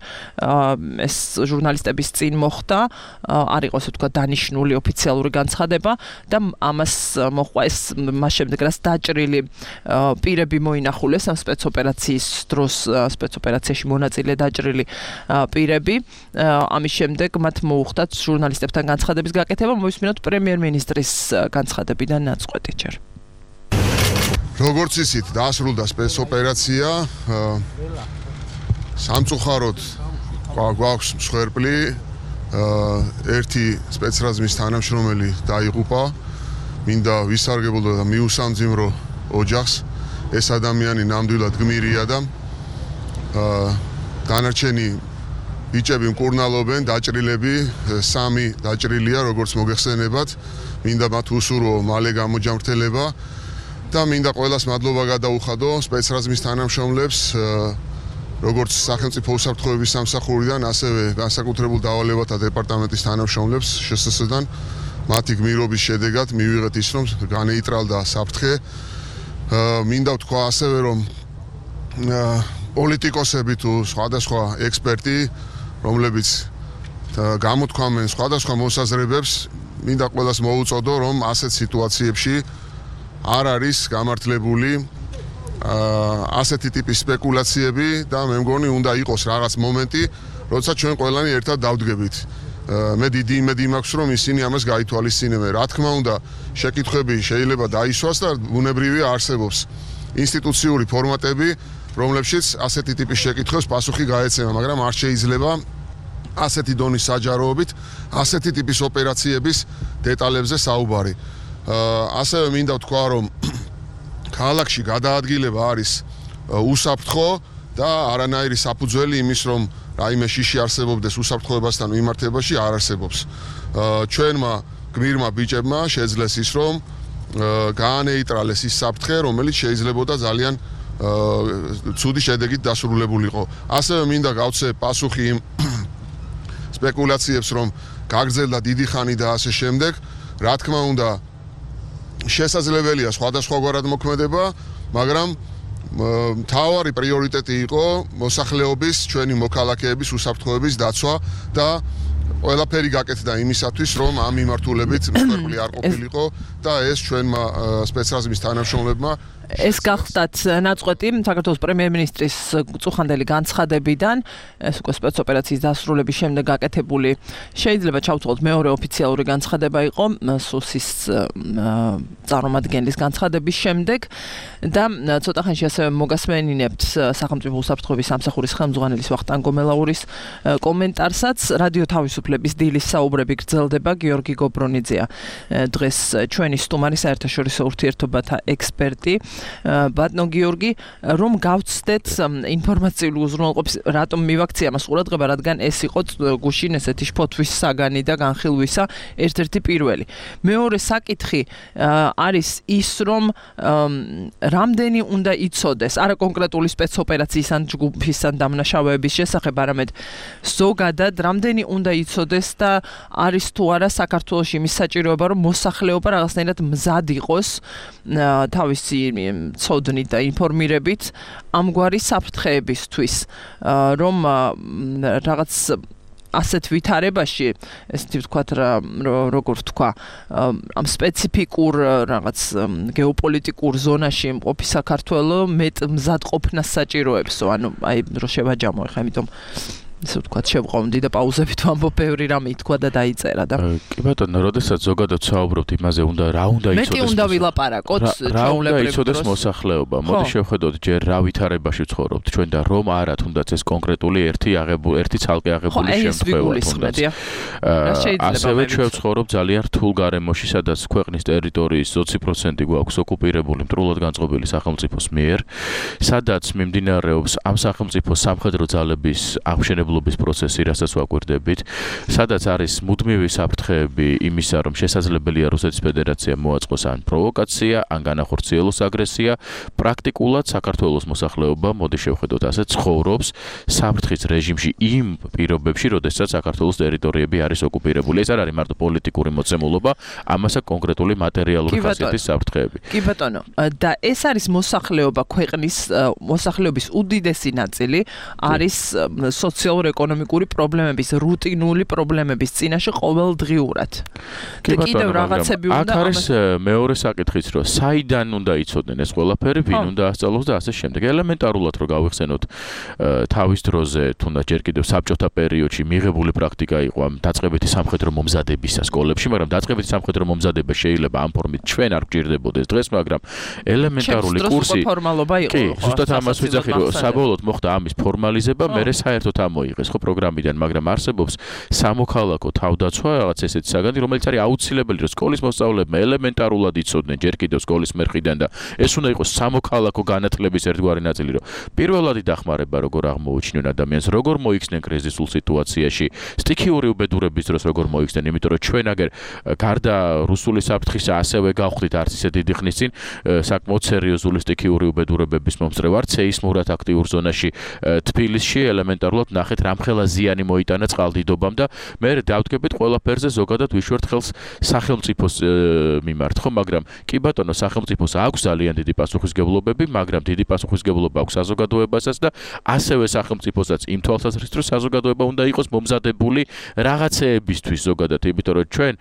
ეს ჟურნალისტების წინ მოხდა. არ იყოს თქვა დანიშნული ოფიციალური განცხადება და ამას მოყვა ეს მას შემდეგ რაც დაჭრილი პირები მოინახულეს ამ სპეცოპერაციის დროს სპეცოპერაციაში მონაწილე დაჭრილი პირები ამის შემდეგ მათ მოუხდათ ჟურნალისტებთან განცხადების გაკეთება. მოვისმინოთ პრემიერ-მინისტრის განცხადებიდან ნაწყვეტი ჯერ. როგორც ისიც დაასრულდა სპეცოპერაცია სამწუხაროდ გვაქვს მსხვერპლი ერთი სპეცრაზმის თანამშრომელი დაიღუპა. მინდა ვისარგებლო და მიუსამძიმრო ოჯახს. ეს ადამიანი ნამდვილად გმირია და დანარჩენი ბიჭები მკურნალობენ, დაჭრილები, 3 დაჭრილია, როგორც მოგეხსენებათ. მინდა მათ უსურვო მალე გამოჯამრთელება და მინდა ყველას მადლობა გადაუხადო სპეცრაზმის თანამშრომლებს, როგორც სახელმწიფო უსაფრთხოების სამსახურიდან, ასევე განსაკუთრებულ დავალებათა დეპარტამენტის თანამშრომლებს შსს-დან. მათი გმირობის შედეგად მივიღეთ ის, რომ განეიტრალდა საფრთხე. მინდა ვთქვა ასევე, რომ პოლიტიკოსები თუ სხვადასხვა ექსპერტი, რომლებიც გამოთქვამენ სხვადასხვა მოსაზრებებს, მინდა ყველას მოუწოდო, რომ ასეთ სიტუაციებში არ არის გამართლებული ასეთი ტიპის სპეკულაციები და მე მგონი უნდა იყოს რაღაც მომენტი, როცა ჩვენ ყველანი ერთად დავდგებით. მე დიდი იმედი მაქვს, რომ ისინი ამას გაითვალისწინებენ. რა თქმა უნდა, შეკითხვები შეიძლება დაისვას და ბუნებრივია არსებობს ინსტიტუციური ფორმატები, რომლებშიც ასეთი ტიპის შეკითხვებს პასუხი გაეცემა, მაგრამ არ შეიძლება ასეთი დონის საჯაროობით, ასეთი ტიპის ოპერაციების დეტალებზე საუბარი. ასევე მინდა ვთქვა, რომ ქალაქში გადაადგილება არის უსაფრთხო და არანაირი საფუძველი იმის, რომ რაიმე შიში არსებობდეს უსაფრთხოებასთან მიმართებაში არ არსებობს. ჩვენმა გმირმა ბიჭებმა შეძლეს ის, რომ გაანეიტრალეს ის საფრთხე, რომელიც შეიძლებოდა ძალიან ცუდი შედეგით დასრულებულიყო. ასევე მინდა გავცე პასუხი იმ სპეკულაციებს, რომ გაგრძელდა დიდი ხანი და ასე შემდეგ. რა თქმა უნდა, შესაძლებელია სხვადასხვაგვარად მოქმედება, მაგრამ მთავარი პრიორიტეტი იყო მოსახლეობის, ჩვენი მოქალაქეების უსაფრთხოების დაცვა და ყველაფერი გაკეთდა იმისათვის, რომ ამ მიმართულებით მსხვერპლი არ ყოფილიყო და ეს ჩვენმა სპეცრაზმის თანამშრომლებმა ეს გახდათ ნაწყვეტი საქართველოს პრემიერ-მინისტრის წუხანდელი განცხადებიდან, ეს უკვე სპეცოპერაციის დასრულების შემდეგ გაკეთებული, შეიძლება ჩავთვალოთ მეორე ოფიციალური განცხადება იყო სუსის წარმომადგენლის განცხადების შემდეგ და ცოტა ხანში ასევე მოგასმენინებთ სახელმწიფო უსაფრთხოების სამსახურის ხელმძღვანელის ვახტანგ გომელაურის კომენტარსაც. რადიო თავისუფლების დილის საუბრები გრძელდება. გიორგი გობრონიძეა დღეს ჩვენი სტუმარი, საერთაშორისო ურთიერთობათა ექსპერტი. ბატონო გიორგი, რომ გავცდეთ ინფორმაციული უზრუნველყოფის, რატომ მივაქცია მას ყურადღება, რადგან ეს იყო გუშინ ესეთი შფოთვის საგანი და განხილვისა ერთ-ერთი პირველი. მეორე საკითხი არის ის, რომ რამდენი უნდა იცოდეს, არა კონკრეტული სპეცოპერაციის ან ჯგუფის ან დამნაშავეების შესახებ, არამედ ზოგადად რამდენი უნდა იცოდეს და არის თუ არა საქართველოში იმის საჭიროება, რომ მოსახლეობა რაღაცნაირად მზად იყოს თავისი ცოდნით და ინფორმირებით ამგვარი საფრთხეებისთვის, რომ რაღაც ასეთ ვითარებაში, ესეთი ვთქვათ, როგორ ვთქვა, ამ სპეციფიკურ რაღაც გეოპოლიტიკურ ზონაში მყოფი საქართველო მეტ მზადყოფნას საჭიროებსო, ანუ აი რო შევაჯამო ხა, იმიტომ ისე ვთქვათ, შევყავდი და პაუზებით ვამბობ, ბევრი რამე ითქვა და დაიწერა და კი ბატონო, როდესაც ზოგადად საუბრობთ იმაზე, რა უნდა იცოდეს, მეტი უნდა ვილაპარაკოთ, რა უნდა იცოდეს მოსახლეობა. მოდი შევხედოთ, ჯერ რა ვითარებაში ვცხოვრობთ ჩვენ და რომ არა თუნდაც ეს კონკრეტული ერთი ცალკე აღებული შემთხვევა. ასევე ჩვენ ვცხოვრობ ძალიან რთულ გარემოში, სადაც ქვეყნის ტერიტორიის 20% გვაქვს ოკუპირებული მტრულად განწყობილი სახელმწიფოს მიერ, სადაც მიმდინარეობს ამ სახელმწიფოს სამხედრო ძალების აღშენებლობის პროცესი, რასაც ვაკვირდებით, სადაც არის მუდმივი საფრთხეები იმისა, რომ შესაძლებელია რუსეთის ფედერაცია მოაწყოს ან პროვოკაცია, ან განახორციელოს აგრესია. პრაქტიკულად საქართველოს მოსახლეობა, მოდი შევხედოთ ასე, ცხოვრობს საფრთხის რეჟიმში იმ პირობებში, როდესაც საქართველოს ტერიტორიები არის ოკუპირებული. ეს არ არის მარტო პოლიტიკური მოცემულობა, ამასაც კონკრეტული მატერიალური ხასიათის საფრთხეები. კი ბატონო, და ეს არის მოსახლეობა, ქვეყნის მოსახლეობის უდიდესი ნაწილი არის სოციალურ-ეკონომიკური პრობლემების, რუტინული პრობლემების წინაშე ყოველდღიურად. კი ბატონო, რაღაცები უნდა. აქ არის მეორე საკითხიც, რომ საიდან უნდა იცოდნენ ეს ყველაფერი, ვინ უნდა ასწავლოს და ასე შემდეგ. ელემენტარულად რომ გავიხსენოთ თავის დროზე, თუნდაც ჯერ კიდევ საბჭოთა პერიოდში მიღებული პრაქტიკა იყო ამ დაწყებითი სამხედრო მომზადებისა სკოლებში, მაგრამ დაწყებითი სამხედრო მომზადება შეიძლება ამ ფორმით ჩვენ არ გვჭირდებოდეს დღეს, მაგრამ ელემენტარული კურსი ფორმალობა იყო. კი, ზუსტად ამას ვიძახი, რომ საბოლოოდ მოხდა ამის ფორმალიზება, მერე საერთოდ ამოიღეს ხო პროგრამიდან, მაგრამ არსებობს სამოქალაქო თავდაცვა, რაღაც ესეთი საგანი, რომელიც არის აუცილებელი, რომ სკოლის მოსწავლეებმა ელემენტარულად იცოდნენ ჯერ კიდევ სკოლის მერხიდან და ეს უნდა იყოს სამოქალაქო განათლების ერთგვარი ნაწილი, რომ პირველადი დახმარება როგორ აღმოუჩინონ ადამიანს, როგორ მოიქცნენ კრიზისულ სიტუაციაში, სტიქიური უბედურების დროს როგორ მოიქცნენ, იმიტომ რომ ჩვენ აგერ გარდა რუსული საფრთხისა ასევე გავხდით არც ისე დიდი ხნის წინ საკმაოდ სერიოზული სტიქიური უბედურებების მომსწრე ვართ სეისმურად აქტიურ ზონაში თბილისში ელემენტარულად ნახეთ რამხელა ზიანი მოიტანა წყალდიდობამ და მე დავდგებით ყველაფერზე ზოგადად ვიშვერთ ხელს სახელმწიფოს მიმართ ხო, მაგრამ კი ბატონო, სახელმწიფოს აქვს ძალიან დიდი პასუხისმგებლობები, მაგრამ დიდი პასუხისმგებლობა აქვს საზოგადოებასაც და ასევე სახელმწიფოსაც იმ თვალსაზრისით, რომ საზოგადოება უნდა იყოს მომზადებული რაღაცეებისთვის ზოგადად, იმიტომ რომ ჩვენ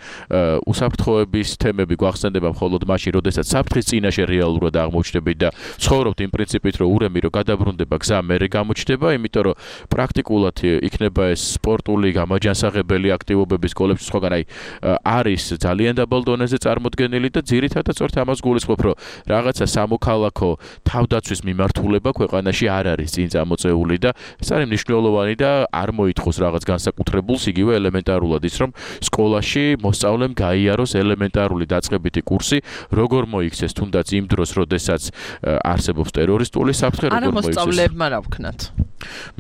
უსაფრთხოების თემები გვახსენდება მხოლოდ მაშინ, როდესაც საფრთხის წინაშე რეალურად აღმოჩნდებით და ცხოვრობთ იმ პრინციპით, რომ ურემი რომ გადაბრუნდება, გზა მერე გამოჩნდება, იმიტომ რომ პრაქტიკულად ნამდვილად იქნება ეს სპორტული გამაჯანსაღებელი აქტივობები სკოლებში სხვაგან არის ძალიან დაბალ დონეზე წარმოდგენილი და ძირითადად სწორედ ამას გულისხმობ, რომ რაღაცა სამოქალაქო თავდაცვის მიმართულება ქვეყანაში არ არის წინ წამოწეული და ეს არის მნიშვნელოვანი და არ მოითხოვს რაღაც განსაკუთრებულს იგივე ელემენტარულად ის რომ სკოლაში მოსწავლემ გაიაროს ელემენტარული დაწყებითი კურსი როგორ მოიქცეს თუნდაც იმ დროს როდესაც არსებობს ტერორისტული საფრთხე როგორ მოიქცეს მოსწავლეებმა რა ვქნათ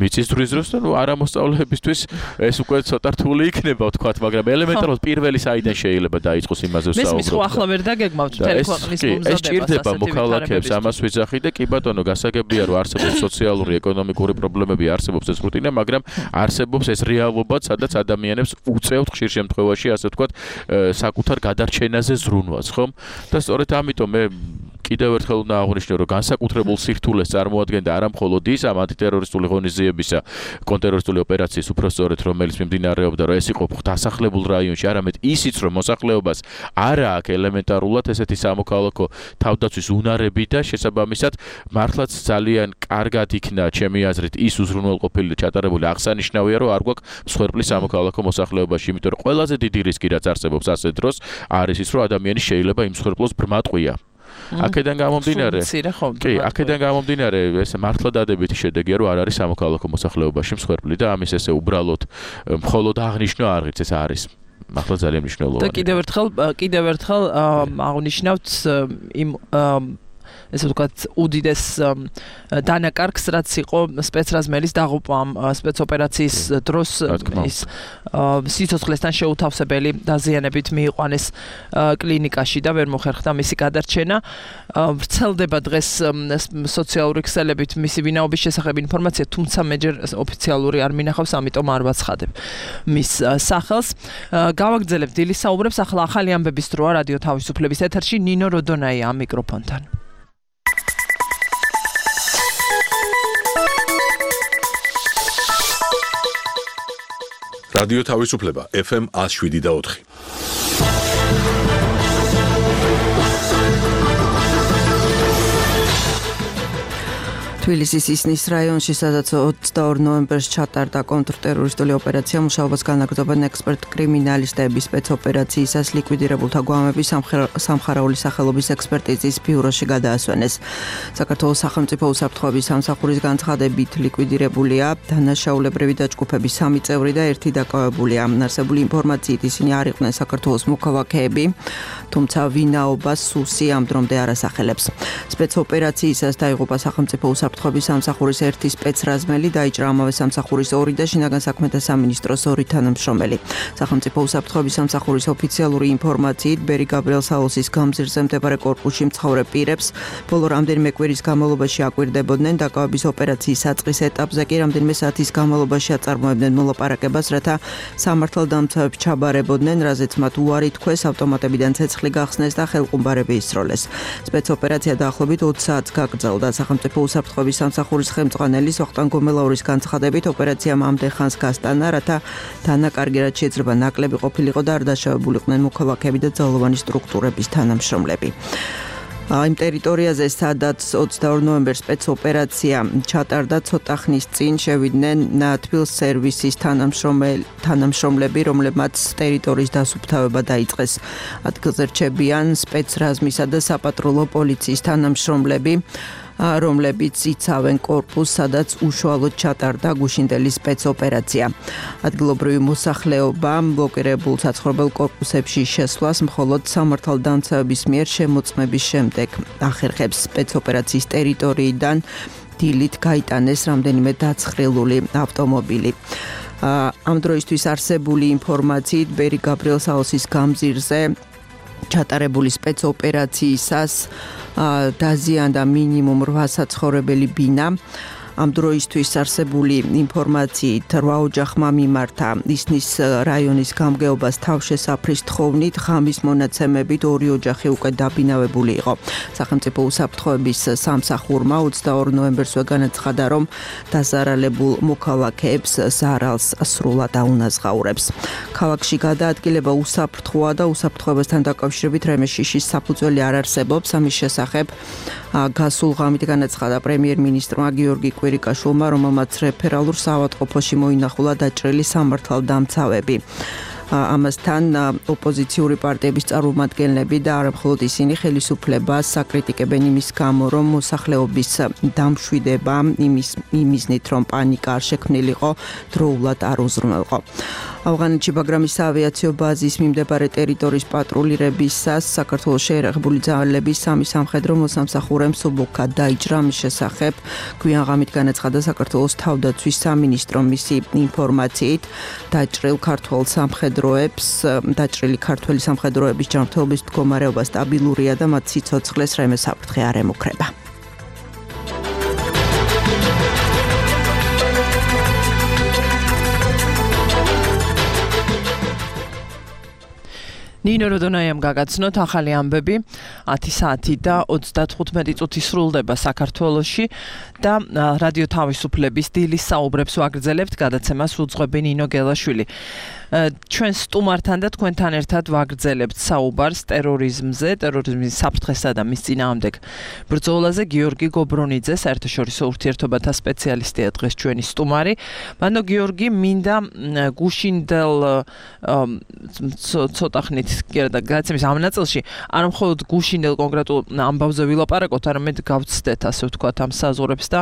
მიწის დროის დროს და არა მოსწავლეებისთვის ეს უკვე ცოტა რთული იქნება ვთქვათ მაგრამ ელემენტარულად პირველი საიდან შეიძლება დაიწყოს იმაზე ვსაუბრობ მესმის ხო ახლა ვერ დაგეგმავთ მთელი ქვეყნის მომზადებას ეს ჭირდება მოქალაქეებს ამას ვიძახი და კი ბატონო გასაგებია რომ არსებობს სოციალური ეკონომიკური პრობლემები არსებობს ეს რუტინა მაგრამ არსებობს ეს რეალობა სადაც ადამიანებს უწევთ ხშირ შემთხვევაში ასე ვთქვათ საკუთარ გადარჩენაზე ზრუნვას ხომ და სწორედ ამიტომ მე კიდევ ერთხელ უნდა აღვნიშნო რომ განსაკუთრებულ სირთულეს წარმოადგენდა არა მხოლოდ ის ამ ანტიტერორისტული ღონისძიებისა კონტრტერორისტული ოპერაციის უпростоრეთ რომელიც მიმდინარეობდა რომ ეს იყო დასახლებულ რაიონში არამედ ისიც რომ მოსახლეობას არა აქვს ელემენტარულად ესეთი სამოქალაქო თავდაცვის უნარები და შესაბამისად მართლაც ძალიან კარგად იქნა ჩემი აზრით ის უზრუნველყოფილი ჩატარებული აღსანიშნავია რომ არ გვაქვს მსხვერპლი სამოქალაქო მოსახლეობაში იმიტომ რომ ყველაზე დიდი რისკი რაც არსებობს ასე დროს არის ის რომ ადამიანი შეიძლება იმ მსხვერპლოს ბრმატყვია აქედან გამომდინარე კი აქედან გამომდინარე ეს მართლა დადებითი შედეგია რომ არ არის სამოქალაქო მოსახლეობაში მსხვერპლი და ამის ესე უბრალოდ მხოლოდ აღნიშნვა არ ღირს ეს არის მართლა ძალიან მნიშვნელოვანი და კიდევ ერთხელ აღნიშნავთ იმ ესე ვთქვათ უდიდეს დანაკარგს რაც იყო სპეცრაზმელის დაღუპვა ამ სპეცოპერაციის დროს ის სიცოცხლესთან შეუთავსებელი დაზიანებით მიიყვანეს კლინიკაში და ვერ მოხერხდა მისი გადარჩენა ვრცელდება დღეს სოციალური ქსელებით მისი ვინაობის შესახებ ინფორმაცია თუმცა მე ჯერ ოფიციალური არ მინახავს ამიტომ არ ვაცხადებ მის სახელს გავაგრძელებთ დილის საუბრებს ახლა ახალი ამბების დროა რადიო თავისუფლების ეთერში ნინო როდონაია ამ მიკროფონთან რადიო თავისუფლება FM 107.4 თბილისის ისნის რაიონში, სადაც 22 ნოემბერს ჩატარდა კონტრტერორისტული ოპერაცია, მუშაობას განაგრძობენ ექსპერტ-კრიმინალისტები სპეცოპერაციისას ლიკვიდირებულთა გვამები სამხარაული სახელობის ექსპერტიზის ბიუროში გადაასვენეს. საქართველოს სახელმწიფო უსაფრთხოების სამსახურის განცხადებით ლიკვიდირებულია დანაშაულებრივი დაჯგუფების 3 წევრი და 1 დაკავებულია. არსებული ინფორმაციით ისინი არ იყვნენ საქართველოს მოქალაქეები, თუმცა ვინაობას სუსი ამ დრომდე არ ასახელებს. სპეცოპერაციისას დაიღუპა სახელმწიფო უსაფრთხოების სამსახურის 1 სპეცრაზმელი, დაიჭრა ამავე სამსახურის 2 და შინაგან საქმეთა სამინისტროს 2 თანამშრომელი. სახელმწიფო უსაფრთხოების სამსახურის ოფიციალური ინფორმაციით ბერი გაბრიელ საოლსის გამზირზე მდებარე კორპუსში მცხოვრებ პირებს ბოლო რამდენიმე კვირის განმავლობაში აკვირდებოდნენ დაკავების ოპერაციის საწყის ეტაპზე კი რამდენიმე საათის განმავლობაში აწარმოებდნენ მოლაპარაკებას, რათა სამართალდამცავებს ჩაბარებოდნენ, რაზეც მათ უარი თქვეს, ავტომატებიდან ცეცხლი გახსნეს და ხელყუმბარები ისროლეს. სპეცოპერაცია დაახლოებით 20 საათს გაგრძელდა. სახელმწიფო უსაფრთხოების სამსახურის ხელმძღვანელის ვახტანგ გომელაურის განცხადებით ოპერაციამ ამდენ ხანს გასტანა, რათა დანაკარგი რაც შეიძლება ნაკლები ყოფილიყო და არ დაშავებულიყვნენ მოქალაქეები და ძალოვანი სტრუქტურების თანამშრომლები. იმ ტერიტორიაზე, სადაც 22 ნოემბერს სპეცოპერაცია ჩატარდა, ცოტა ხნის წინ შევიდნენ თბილისის სერვისის თანამშრომლები, რომლებმაც ტერიტორიის დასუფთავება დაიწყეს. ადგილზე რჩებიან სპეცრაზმისა და საპატრულო პოლიციის თანამშრომლები, რომლებიც იცავენ კორპუსს, სადაც უშუალოდ ჩატარდა გუშინდელი სპეცოპერაცია. ადგილობრივი მოსახლეობა ბლოკირებულ საცხოვრებელ კორპუსებში შესვლას მხოლოდ სამართალდამცავების მიერ შემოწმების შემდეგ ახერხებს. სპეცოპერაციის ტერიტორიიდან დილით გაიტანეს რამდენიმე დაცხრილული ავტომობილი. ამ დროისთვის არსებული ინფორმაციით ბერი გაბრიელ საოლსის გამზირზე ჩატარებული სპეცოპერაციისას დაზიანდა მინიმუმ 8 საცხოვრებელი ბინა. ამ დროისთვის არსებული ინფორმაციით 8 ოჯახმა მიმართა ისნის რაიონის გამგეობას თავშესაფრის თხოვნით, ღამის მონაცემებით 2 ოჯახი უკვე დაბინავებული იყო. სახელმწიფო უსაფრთხოების სამსახურმა 22 ნოემბერს განაცხადა, რომ დაზარალებულ მოქალაქეებს ზარალს სრულად აუნაზღაურებს. ქალაქში გადაადგილება უსაფრთხოა და უსაფრთხოებასთან დაკავშირებით რემეშიშის საფუძველი არ არსებობს. ამის შესახებ გასულ ღამით განაცხადა პრემიერ-მინისტრმა გიორგი კვირიკაშვილმა, რომელმაც რეფერალურ საავადმყოფოში მოინახულა დაჭრილი სამართალდამცავები. ამასთან ოპოზიციური პარტიების წარმომადგენლები და არა მხოლოდ ისინი ხელისუფლებას აკრიტიკებენ იმის გამო, რომ მოსახლეობის დამშვიდება იმის მიზნით, რომ პანიკა არ შექმნილიყო, დროულად არ უზრუნველყო. ავღანეთში ბაგრამის საავიაციო ბაზის მიმდებარე ტერიტორიის პატრულირებისას საქართველოს შეერაღებული ძალების სამი სამხედრო მოსამსახურემ სუბუქად დაიჭრა. მის შესახებ გვიან ღამით განაცხადა საქართველოს თავდაცვის სამინისტრომ. მისი ინფორმაციით დაჭრილი ქართველი სამხედროების ჯანმრთელობის მდგომარეობა სტაბილურია და მათ სიცოცხლეს რემე საფრთხე არ ემუქრება. ნინო როდონაიამ გაგაცნოთ ახალი ამბები 10 საათი და 35 წუთი სრულდება საქართველოში და რადიო თავისუფლების დილის საუბრებს ვაგრძელებთ, გადაცემას უძღვები ნინო გელაშვილი. ჩვენ სტუმართან და თქვენთან ერთად ვაგრძელებთ საუბარს ტერორიზმზე, ტერორიზმის საფრთხესა და მის წინააღმდეგ ბრძოლაზე. გიორგი გობრონიძე, საერთაშორისო ურთიერთობათა სპეციალისტია დღეს ჩვენი სტუმარი. მანდო გიორგი, მინდა გუშინდელ ცოტა ხნით გადაცემის ამ ნაწილში არ მხოლოდ გუშინდელ კონკრეტულ ამბავზე ვილაპარაკოთ, არამედ გავცდეთ, ასე ვთქვათ, ამ საზღვრებს და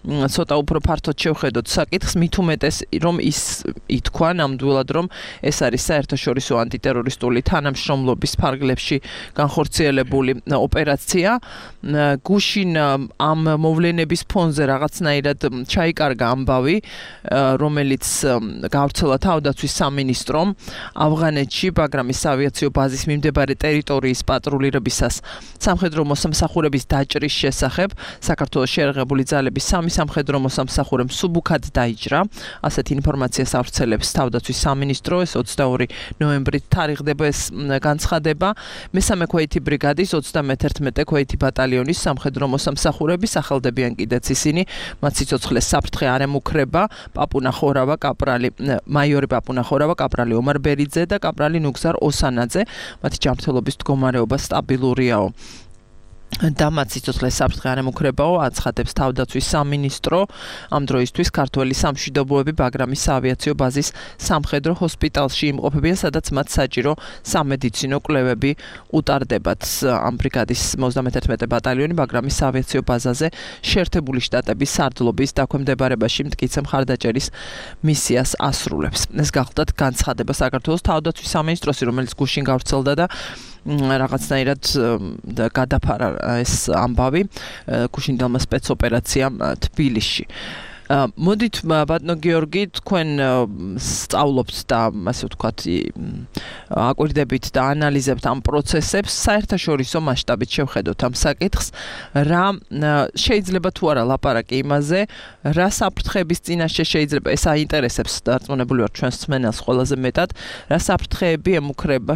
ცოტა უფრო ფართოდ შევხედოთ საკითხს, მით უმეტეს რომ ის ითქვა ნამდვილად, რომ ეს არის საერთაშორისო ანტიტერორისტული თანამშრომლობის ფარგლებში განხორციელებული ოპერაცია. გუშინ ამ მოვლენების ფონზე რაღაცნაირად ჩაიკარგა ამბავი, რომელიც გავრცელა თავდაცვის სამინისტრომ ავღანეთში ბაგრამის საავიაციო ბაზის მიმდებარე ტერიტორიის პატრულირებისას სამხედრო მოსამსახურების დაჭრის შესახებ. საქართველოს შეერაღებული ძალების სამი სამხედრო მოსამსახურემ სუბუქად დაიჭრა. ასეთი ინფორმაციას ავრცელებს თავდაცვის სამინისტრო. ეს 22 ნოემბრით თარიღდება ეს განცხადება. მესამე ქვეითი ბრიგადის 31 ქვეითი ბატალიონის სამხედრო მოსამსახურები სახელდებიან კიდეც ისინი, მათ სიცოცხლეს საფრთხე არ ემუქრება. მაიორი პაპუნა ხორავა, კაპრალი ომარ ბერიძე და კაპრალი ნუგზარ ოსანაძე. მათი ჯანმრთელობის მდგომარეობა სტაბილურიაო. და მათ სიცოცხლეს საფრთხე არ ემუქრებაო, აცხადებს თავდაცვის სამინისტრო. ამ დროისთვის ქართველი სამშვიდობოები ბაგრამის საავიაციო ბაზის სამხედრო ჰოსპიტალში იმყოფებიან, სადაც მათ საჭირო სამედიცინო კვლევები უტარდებათ. ამ ბრიგადის 91 ბატალიონი ბაგრამის საავიაციო ბაზაზე შეერთებული შტატების სარდლობის დაქვემდებარებაში მტკიცე მხარდაჭერის მისიას ასრულებს. ეს გახლდათ განცხადება საქართველოს თავდაცვის სამინისტროსი, რომელიც გუშინ გავრცელდა და რაღაცნაირად გადაფარა ეს ამბავი გუშინდელმა სპეცოპერაციამ თბილისში. მოდით ბატონო გიორგი, თქვენ სწავლობთ და ასე ვთქვათ აკვირდებით და ანალიზებთ ამ პროცესებს, საერთაშორისო მასშტაბით შევხედოთ ამ საკითხს, რა შეიძლება თუ არა ლაპარაკი იმაზე, რა საფრთხეების წინაშე შეიძლება ეს აინტერესებს დარწმუნებული ვარ ჩვენს მსმენელს ყველაზე მეტად, რა საფრთხეები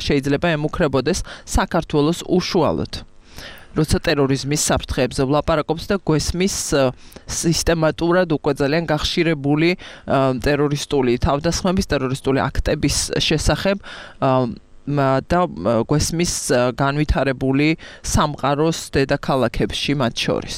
შეიძლება ემუქრებოდეს საქართველოს უშუალოდ. როცა ტერორიზმის საფრთხეებზე ვლაპარაკობთ და გვესმის სისტემატურად უკვე ძალიან გახშირებული ტერორისტული თავდასხმების, ტერორისტული აქტების შესახებ და გვესმის განვითარებული სამყაროს დედაქალაქებში მათ შორის.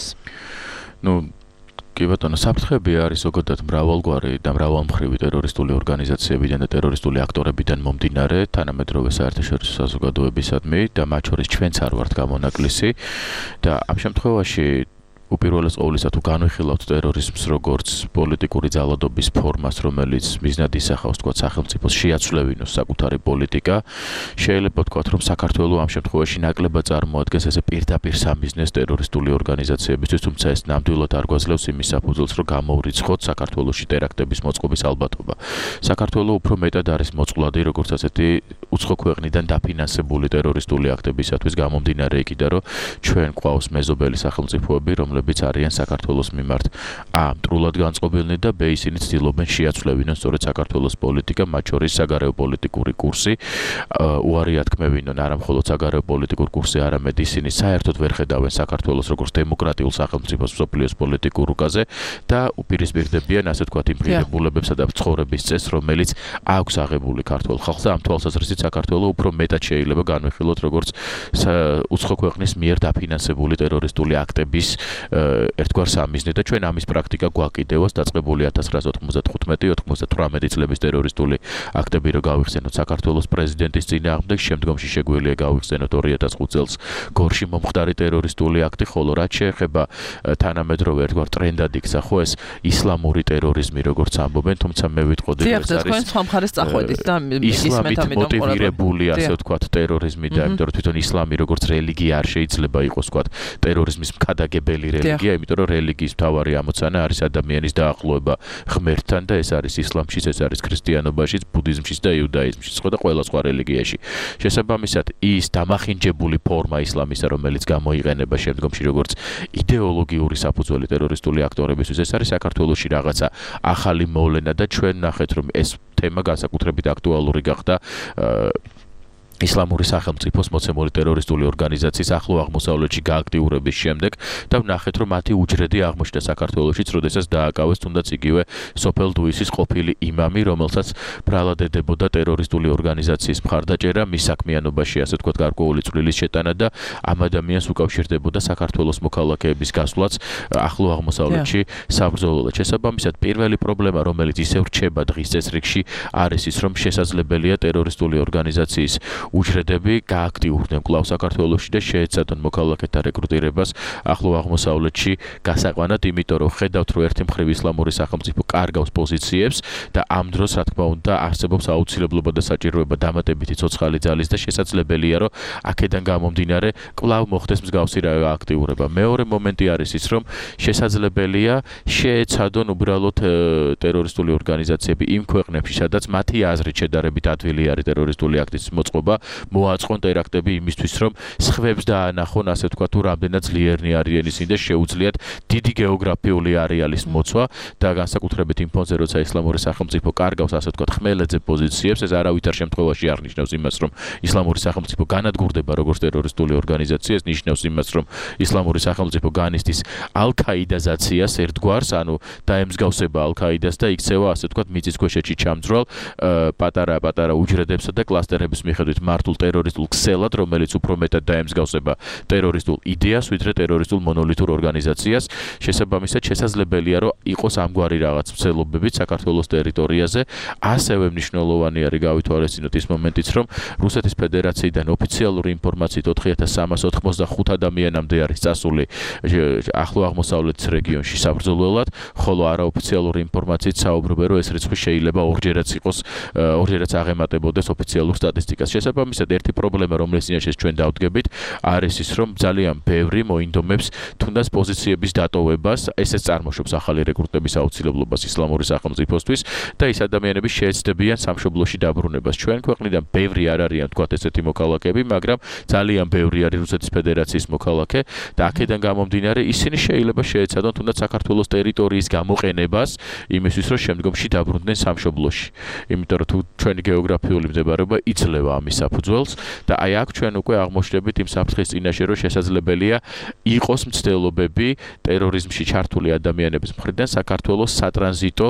კი ბატონო, საფრთხეები არის ზოგადად მრავალგვარი და მრავალმხრივი ტერორისტული ორგანიზაციებიდან და ტერორისტული აქტორებიდან მომდინარე, თანამედროვე საერთაშორისო საზოგადოებისადმი და მათ შორის ჩვენც არ ვართ გამონაკლისი და ამ შემთხვევაში უპირველეს ყოვლისა თუ განვიხილავთ ტერორიზმს როგორც პოლიტიკური ძალადობის ფორმას, რომელიც მიზნად ისახავს თქვათ სახელმწიფოს შეაცვლევინოს საკუთარი პოლიტიკა, შეიძლება ვთქვათ, რომ საქართველოს ამ შემთხვევაში ნაკლებად წარმოადგენს ესე პირდაპირ სამიზნეს ტერორისტული ორგანიზაციებისთვის, თუმცა ეს ნამდვილად არ გვაძლევს იმის საფუძველს, რომ გამოვრიცხოთ საქართველოში ტერაქტების მოწყობის ალბათობა. საქართველოს უფრო მეტად არის მოწყვლადი როგორც ასეთი უცხო ქვეყნიდან დაფინანსებული ტერორისტული აქტებისათვის გამომდინარე იქიდან, რომ ჩვენ გვყავს მეზობელი სახელმწიფოები, რომლებიც არიან საქართველოს მიმართ მტრულად განწყობილნი და ისინი ცდილობენ შეაცვლევინონ სწორედ საქართველოს პოლიტიკა, მათ შორის საგარეო პოლიტიკური კურსი, უარი ათქმევინონ არა მხოლოდ საგარეო პოლიტიკურ კურსი, არამედ ისინი საერთოდ ვერ ხედავენ საქართველოს როგორც დემოკრატიულ სახელმწიფოს მსოფლიოს პოლიტიკურ რუკაზე და უპირისპირდებიან ასე ვთქვათ იმ ღირებულებებსა და ცხოვრების წესს, რომელიც აქვს აღებული ქართულ ხალხს და ამ თვალსაზრისით საქართველოს უფრო მეტად შეიძლება განვიხილოთ როგორც უცხო ქვეყნის მიერ დაფინანსებული ტერორისტული აქტების ერთგვარ სამიზნე და ჩვენ ამის პრაქტიკა გვაკიდევას დაწყებული 1995-98 წლების ტერორისტული აქტები რო გავიხსენოთ საქართველოს პრეზიდენტის წინააღმდეგ, შემდგომში შეგვიძლია გავიხსენოთ 2005 წელს გორში მომხდარი ტერორისტული აქტი, ხოლო რაც შეეხება თანამედროვე ერთგვარ ტრენდად იქცა ხო ეს ისლამური ტერორიზმი როგორც ამბობენ, თუმცა მე ვიტყოდი რომ ეს არის სხვა მხარეს წახვედით და ისლამით მოტივირებული ასე ვთქვათ ტერორიზმი და იმიტომ რომ თვითონ ისლამი როგორც რელიგია არ შეიძლება იყოს ვთქვათ ტერორიზმის მქადაგებელი რელიგია, იმიტომ რომ რელიგიის მთავარი ამოცანა არის ადამიანის დაახლოება ღმერთთან და ეს არის ისლამშიც, ეს არის ქრისტიანობაშიც, ბუდიზმშიც და იუდაიზმშიც, ხო და ყველა სხვა რელიგიაში. შესაბამისად, ის დამახინჯებული ფორმა ისლამისა, რომელიც გამოიყენება შემდგომში როგორც იდეოლოგიური საფუძველი ტერორისტული აქტორებისთვის, ეს არის საქართველოში რაღაცა ახალი მოვლენა და ჩვენ ნახეთ რომ ეს თემა განსაკუთრებით აქტუალური გახდა ისლამური სახელმწიფოს მოცემული ტერორისტული ორგანიზაციის ახლო აღმოსავლეთში გააქტიურების შემდეგ და ვნახეთ რომ მათი უჯრედი აღმოჩნდა საქართველოშიც, როდესაც დააკავეს თუნდაც იგივე სოფელ დუისის ყოფილი იმამი, რომელსაც ბრალადებოდა ტერორისტული ორგანიზაციის მხარდაჭერა მის საქმიანობაში, ასე ვთქვათ, გარკვეული წვლილის შეტანა და ამ ადამიანს უკავშირდებოდა საქართველოს მოქალაქეების გასვლაც ახლო აღმოსავლეთში საბრძოლველად. შესაბამისად, პირველი პრობლემა, რომელიც ისევ რჩება დღის წესრიგში, არის ის, რომ შესაძლებელია ტერორისტული ორგანიზაციის უჯრედები გააქტიურდნენ კვლავ საქართველოში და შეეცადონ მოქალაქეთა რეკრუტირებას ახლო აღმოსავლეთში გასაყვანად, იმიტომ რომ ხედავთ რომ ერთი მხრივ ისლამური სახელმწიფო კარგავს პოზიციებს და ამ დროს რა თქმა უნდა არსებობს აუცილებლობა და საჭიროება დამატებითი ცოცხალი ძალის და შესაძლებელია რომ აქედან გამომდინარე კვლავ მოხდეს მსგავსი აქტიურება. მეორე მომენტი არის ის, რომ შესაძლებელია შეეცადონ უბრალოდ ტერორისტული ორგანიზაციები იმ ქვეყნებში, სადაც მათი აზრით შედარებით ადვილი არის ტერორისტული აქტის მოწყობა, მოაწყონ ტერაქტები იმისთვის, რომ სხვებს დაანახონ, ასე ვთქვათ, თუ რამდენად ძლიერნი არიან ისინი და შეუძლიათ დიდი გეოგრაფიული არეალის მოცვა და განსაკუთრებით იმ ფონზე, როცა ისლამური სახელმწიფო კარგავს, ასე ვთქვათ, ხმელეთზე პოზიციებს, ეს არავითარ შემთხვევაში არ ნიშნავს იმას, რომ ისლამური სახელმწიფო განადგურდება როგორც ტერორისტული ორგანიზაცია, ეს ნიშნავს იმას, რომ ისლამური სახელმწიფო განიცდის ალ-ქაიდაზაციას ერთგვარს, ანუ დაემსგავსება ალ-ქაიდას და იქცევა, ასე ვთქვათ, მიწისქვეშეთში ჩამძვრალ პატარა უჯრედებსა და კლასტერების მიხედვით მართულ ტერორისტულ ქსელად, რომელიც უფრო მეტად დაემსგავსება ტერორისტულ იდეას, ვიდრე ტერორისტულ მონოლითურ ორგანიზაციას. შესაბამისად, შესაძლებელია, რომ იყოს ამგვარი რაღაც მცდელობებით საქართველოს ტერიტორიაზე. ასევე მნიშვნელოვანი არის გავითვალისწინოთ ის მომენტიც, რომ რუსეთის ფედერაციიდან ოფიციალური ინფორმაციით 4385 ადამიანამდე არის წასული ახლო აღმოსავლეთის რეგიონში საბრძოლველად, ხოლო არაოფიციალური ინფორმაციით საუბრობენ, რომ ეს რიცხვი შეიძლება ორჯერაც აღემატებოდეს ოფიციალურ სტატისტიკას. შესაბამისად, ერთი პრობლემა, რომლის წინაშე ჩვენ დავდგებით, არის ის, რომ ძალიან ბევრი მოინდომებს თუნდაც პოზიციების დატოვებას, ესეც წარმოშობს ახალი რეკრუტების აუცილებლობას ისლამური სახელმწიფოსთვის და ის ადამიანები შეეცდებიან სამშობლოში დაბრუნებას. ჩვენ ქვეყნიდან ბევრი არ არიან, თქვათ, ესეთი მოქალაქეები, მაგრამ ძალიან ბევრი არის რუსეთის ფედერაციის მოქალაქე და აქედან გამომდინარე, ისინი შეიძლება შეეცადონ თუნდაც საქართველოს ტერიტორიის გამოყენებას იმისთვის, რომ შემდგომში დაბრუნდნენ სამშობლოში. იმიტომ რომ თუ ჩვენი გეოგრაფიული მდებარეობა იძლევა ამის საფუძველს და აი აქ ჩვენ უკვე აღმოჩნდებით იმ საფრთხის წინაშე, რომ შესაძლებელია იყოს მცდელობები ტერორიზმში ჩართული ადამიანების მხრიდან საქართველოს სატრანზიტო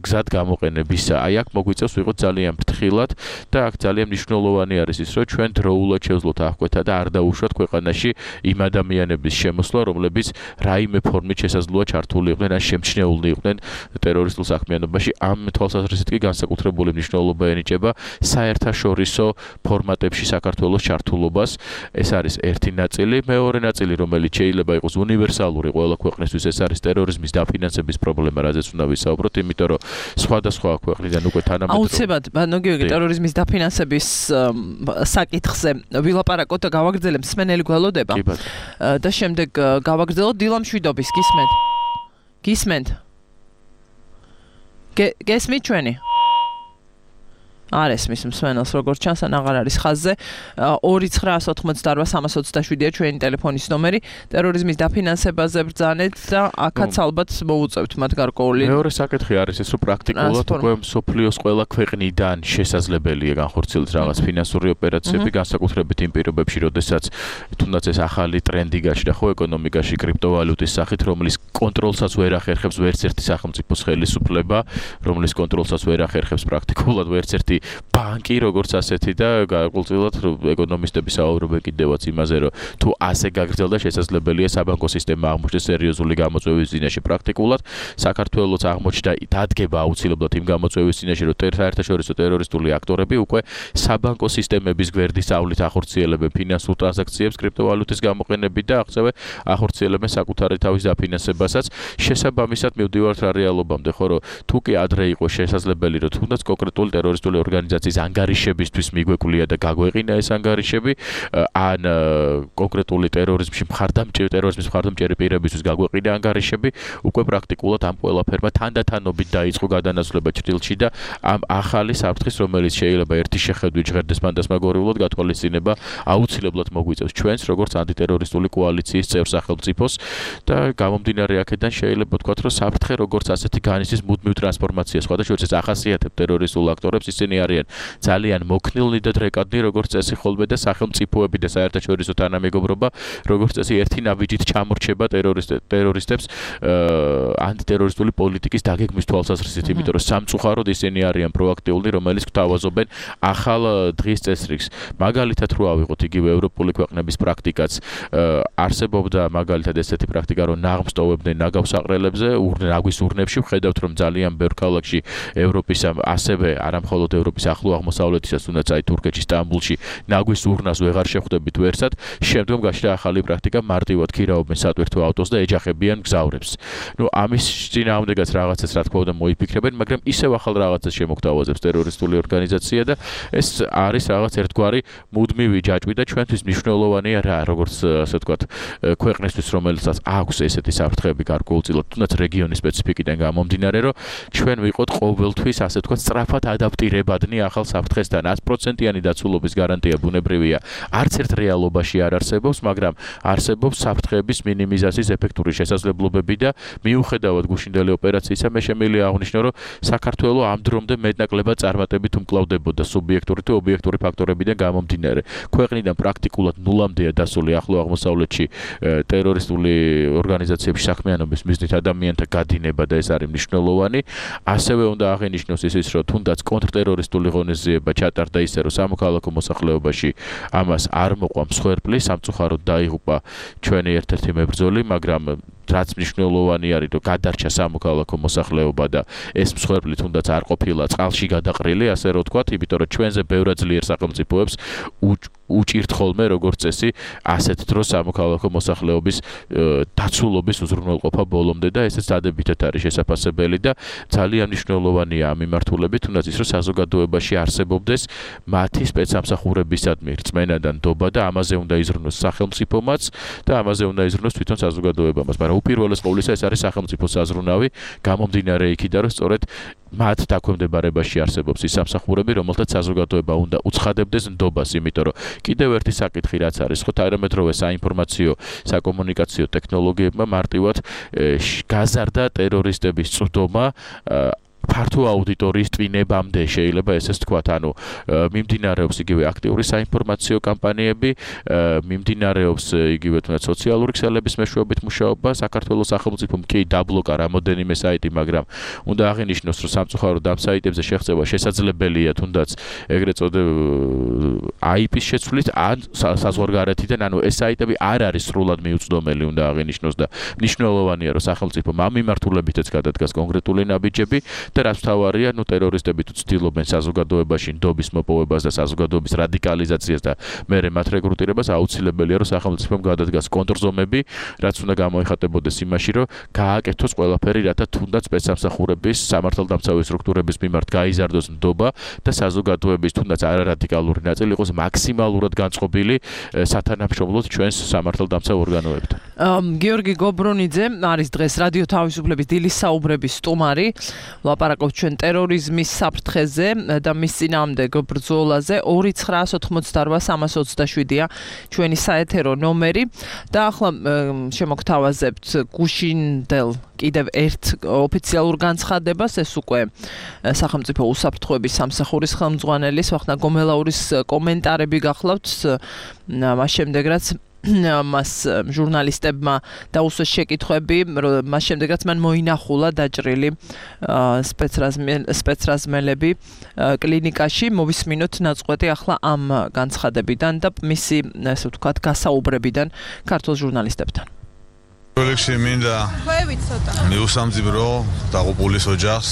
გზად გამოყენებისა. აი აქ მოგვიწევს ვიყოთ ძალიან ფრთხილად და აქ ძალიან მნიშვნელოვანი არის ის, რომ ჩვენ დროულად შევძლოთ აღკვეთა და არ დაუშვათ ქვეყანაში იმ ადამიანების შემოსვლა, რომლებიც რაიმე ფორმით შესაძლოა ჩართული იყვნენ ან შემჩნეული იყვნენ ტერორისტულ საქმიანობაში. ამ თვალსაზრისით კი განსაკუთრებული მნიშვნელობა ენიჭება საერთაშორისო ფორმატებში საქართველოს ჩართულობას. ეს არის ერთი ნაწილი. მეორე ნაწილი, რომელიც შეიძლება იყოს უნივერსალური ყველა ქვეყნისთვის, ეს არის ტერორიზმის დაფინანსების პრობლემა, რაზეც უნდა ვისაუბროთ, იმიტომ რომ სხვადასხვა ქვეყნიდან უკვე თანამედროვე აუცილებლად, გიორგი, ტერორიზმის დაფინანსების საკითხზე ვილაპარაკოთ და გავაგრძელებ მსმენელი გველოდება. და შემდეგ გავაგრძელოთ დილა მშვიდობის, გისმენთ? გესმით ჩვენი? არ ესმის მსმენელს, როგორც ჩანს, ან აღარ არის ხაზზე. 2988327-ია ჩვენი ტელეფონის ნომერი. ტერორიზმის დაფინანსებაზე ბრძანეთ და აქაც ალბათ მოუწევთ მათ გარკვეული. მეორე საკითხი არის ეს, რომ პრაქტიკულად უკვე მსოფლიოს ყველა ქვეყნიდან შესაძლებელია განხორციელდეს რაღაც ფინანსური ოპერაციები, განსაკუთრებით იმ პირობებში, როდესაც თუნდაც ეს ახალი ტრენდი გაჩნდა ხო ეკონომიკაში კრიპტოვალუტის სახით, რომლის კონტროლსაც ვერ ახერხებს ვერც ერთი სახელმწიფოს ხელისუფლება, რომლის კონტროლსაც ვერ ახერხებს პრაქტიკულად ვერც ერთი ბანკი როგორც ასეთი და გარკვეულწილად ეკონომისტები საუბრობენ კიდევაც იმაზე, რომ თუ ასე გაგრძელდა შესაძლებელია საბანკო სისტემა აღმოჩნდეს სერიოზული გამოწვევის წინაშე პრაქტიკულად საქართველოს აღმოჩნდა დადგება აუცილებლად იმ გამოწვევის წინაშე, რომ საერთაშორისო ტერორისტული აქტორები უკვე საბანკო სისტემების გვერდისავლით ახორციელებენ ფინანსურ ტრანზაქციებს კრიპტოვალუტის გამოყენებით და ასევე ახორციელებენ საკუთარი თავის დაფინანსებასაც. შესაბამისად მივდივართ რა რეალობამდე, ხო რომ თუ კი ადრე იყო შესაძლებელი, რომ თუნდაც კონკრეტული ტერორისტული ორგანიზაციის ანგარიშებისთვის მიგვეკვლია და გაგვეყინა ეს ანგარიშები, ან კონკრეტული ტერორიზმის მხარდამჭერი პირებისთვის გაგვეყინა ანგარიშები, უკვე პრაქტიკულად ამ ყველაფერმა თანდათანობით დაიწყო გადანაცვლება ჭრილში და ამ ახალი საფრთხის, რომელიც შეიძლება ერთი შეხედვით ჟღერდეს ფანტასმაგორიულად გათვალისწინება აუცილებლად მოგვიწევს ჩვენს როგორც ანტიტერორისტული კოალიციის წევრ სახელმწიფოს და გამომდინარე აქედან შეიძლება ვთქვათ, რომ საფრთხე როგორც ასეთი განიცდის მუდმივ ტრანსფორმაციას. სხვადასხვა ახასიათებს ტერორისტულ აქტორებს, ისინი არიან ძალიან მოქნილნი და დრეკადნი, როგორც წესი ხოლმე და სახელმწიფოები და საერთაშორისო თანამეგობრობა, როგორც წესი ერთი ნაბიჯით ჩამორჩება ტერორისტებს ანტიტერორისტული პოლიტიკის დაგეგმვის თვალსაზრისით, იმიტომ რომ სამწუხაროდ ისინი არიან პროაქტიული, რომელიც გვთავაზობენ ახალ დღის წესრიგს. მაგალითად რო ავიღოთ იგივე ევროპული ქვეყნების პრაქტიკაც, არსებობდა მაგალითად ესეთი პრაქტიკა, რომ ნაღმს ტოვებდნენ ნაგავს აყრელებზე, ნაგვის ურნებში, ვხედავთ რომ ძალიან ბევრ ქალაქში ევროპის ასევე არამხოლოდ ევროპის ახლო აღმოსავლეთისაც, თუნდაც აი თურქეთში, სტამბულში ნაგვის ურნას ვეღარ შეხვდებით ვერსად, შემდგომ გაჩნდა ახალი პრაქტიკა, მარტივად ქირაობენ სატვირთო ავტოს და ეჯახებიან მგზავრებს. ამის წინააღმდეგაც რაღაცას რა თქმა უნდა მოიფიქრებენ, მაგრამ ისევ ახალ რაღაცას შემოგთავაზებს ტერორისტული ორგანიზაცია და ეს არის რაღაც ერთგვარი მუდმივი ჯაჭვი და ჩვენთვის მნიშვნელოვანია რა, როგორც ასე ვთქვათ, ქვეყნისთვის, რომელსაც აქვს ესეთი საფრთხეები გარკვეულწილად, თუნდაც რეგიონის სპეციფიკიდან გამომდინარე, რომ ჩვენ ვიყოთ ყოველთვის ასე ვთქვათ, სწრაფად ადაპტირებადნი ახალ საფრთხესთან. 100%-იანი დაცულობის გარანტია ბუნებრივია, არც ერთ რეალობაში არ არსებობს, მაგრამ არსებობს საფრთხეების მინიმიზაციის ეფექტური შესაძლებლობები და მიუხედავად გუშინდელი ოპერაციისა, მე შემიძლია აღვნიშნო, რომ საქართველოს ამ დრომდე მეტნაკლებად წარმატებით უმკლავდებოდა სუბიექტური თუ ობიექტური ფაქტორებიდან გამომდინარე. ქვეყნიდან პრაქტიკულად ნულამდეა დასული ახლო აღმოსავლეთში ტერორისტული ორგანიზაციების საქმიანობის მიზნით ადამიანთა გადინება და ეს არის მნიშვნელოვანი. ასევე უნდა აღინიშნოს ის, რომ თუნდაც კონტრტერორისტული ღონისძიება ჩატარდა ისე, რომ სამოქალაქო მოსახლეობაში ამას არ მოყვა მსხვერპლი, სამწუხაროდ დაიღუპა ჩვენი ერთ-ერთი მებრძოლი, მაგრამ რაც მნიშვნელოვანი არის, რომ გადარჩა სამოქალაქო მოსახლეობა და ეს მსხვერპლი თუნდაც არ ყოფილა წყალში გადაყრილი, ასე რომ ვთქვათ, იმიტომ რომ ჩვენზე ბევრად ძლიერ სახელმწიფოებს უჭირთ ხოლმე როგორც წესი ასეთ დროს სამოქალაქო მოსახლეობის დაცულობის უზრუნველყოფა ბოლომდე და ესეც დადებითად არის შესაძლებელი და ძალიან მნიშვნელოვანია ამ მიმართულებით, თუნდაც ის, რომ საზოგადოებაში არსებობდეს მათი სპეცსამსახურებისადმი რწმენა და ნდობა და ამაზე უნდა იზრუნოს სახელმწიფომაც და ამაზე უნდა იზრუნოს თვითონ საზოგადოებამაც, მაგრამ უპირველეს ყოვლისა ეს არის სახელმწიფოს საზრუნავი, გამომდინარე იქიდან, რომ სწორედ მათ დაქვემდებარებაში არსებობს ის სამსახურები, რომელთაც საზოგადოება უნდა უცხადებდეს ნდობას, იმიტომ რომ კიდევ ერთი საკითხი რაც არის, ხო, თანამედროვე საინფორმაციო საკომუნიკაციო ტექნოლოგიებმა მარტივად გაზარდა ტერორისტების წვდომა ფართო აუდიტორიის ტვინებამდე შეიძლება ესეც თქვათ, ანუ მიმდინარეობს იგივე აქტიური საინფორმაციო კამპანიები, მიმდინარეობს იგივე თუნდაც სოციალური ქსელების მეშვეობით მუშაობა, საქართველოს სახელმწიფომ კი დაბლოკა რამოდენიმე საიტი, მაგრამ უნდა აღინიშნოს, რომ სამწუხაროდ ამ საიტებზე შეღწევა შესაძლებელია თუნდაც ეგრეთ წოდებულ IP-ის შეცვლით ან საზღვარგარეთიდან, ანუ ეს საიტები არ არის სრულად მიუწვდომელი, უნდა აღინიშნოს და მნიშვნელოვანია, რომ სახელმწიფომ ამ მიმართულებითაც გადადგას კონკრეტული ნაბიჯები და რაც მთავარია, ტერორისტები თუ ცდილობენ საზოგადოებაში ნდობის მოპოვებას და საზოგადოების რადიკალიზაციას და მერე მათ რეკრუტირებას, აუცილებელია, რომ სახელმწიფომ გადადგას კონტრზომები, რაც უნდა გამოიხატებოდეს იმაში, რომ გააკეთოს ყველაფერი, რათა თუნდაც სპეცსამსახურების, სამართალდამცავი სტრუქტურების მიმართ გაიზარდოს ნდობა და საზოგადოების თუნდაც არარადიკალური ნაწილი იყოს მაქსიმალურად განწყობილი სათანამშრომლოდ ჩვენს სამართალდამცავ ორგანოებთან. გიორგი გობრონიძე არის დღეს რადიო თავისუფლების დილის საუბრების სტუმარი. ლაპარაკობთ ჩვენ ტერორიზმის საფრთხეზე და მის წინააღმდეგ ბრძოლაზე. 2988327-ია ჩვენი საეთერო ნომერი და ახლა შემოგთავაზებთ გუშინდელ კიდევ ერთ ოფიციალურ განცხადებას, ეს უკვე სახელმწიფო უსაფრთხოების სამსახურის ხელმძღვანელის ვახტანგ გომელაურის კომენტარები გახლავთ, მას შემდეგ რაც მას ჟურნალისტებმა დაუსვეს შეკითხვები, მას შემდეგაც მან მოინახულა დაჭრილი სპეცრაზმელები კლინიკაში. მოვისმინოთ ნაწყვეტი ახლა ამ განცხადებიდან და მისი, ასე ვთქვათ, გასაუბრებიდან ქართულ ჟურნალისტებთან. Kolekში მინდა მიუსამძიმრო დაღუპულის ოჯახს.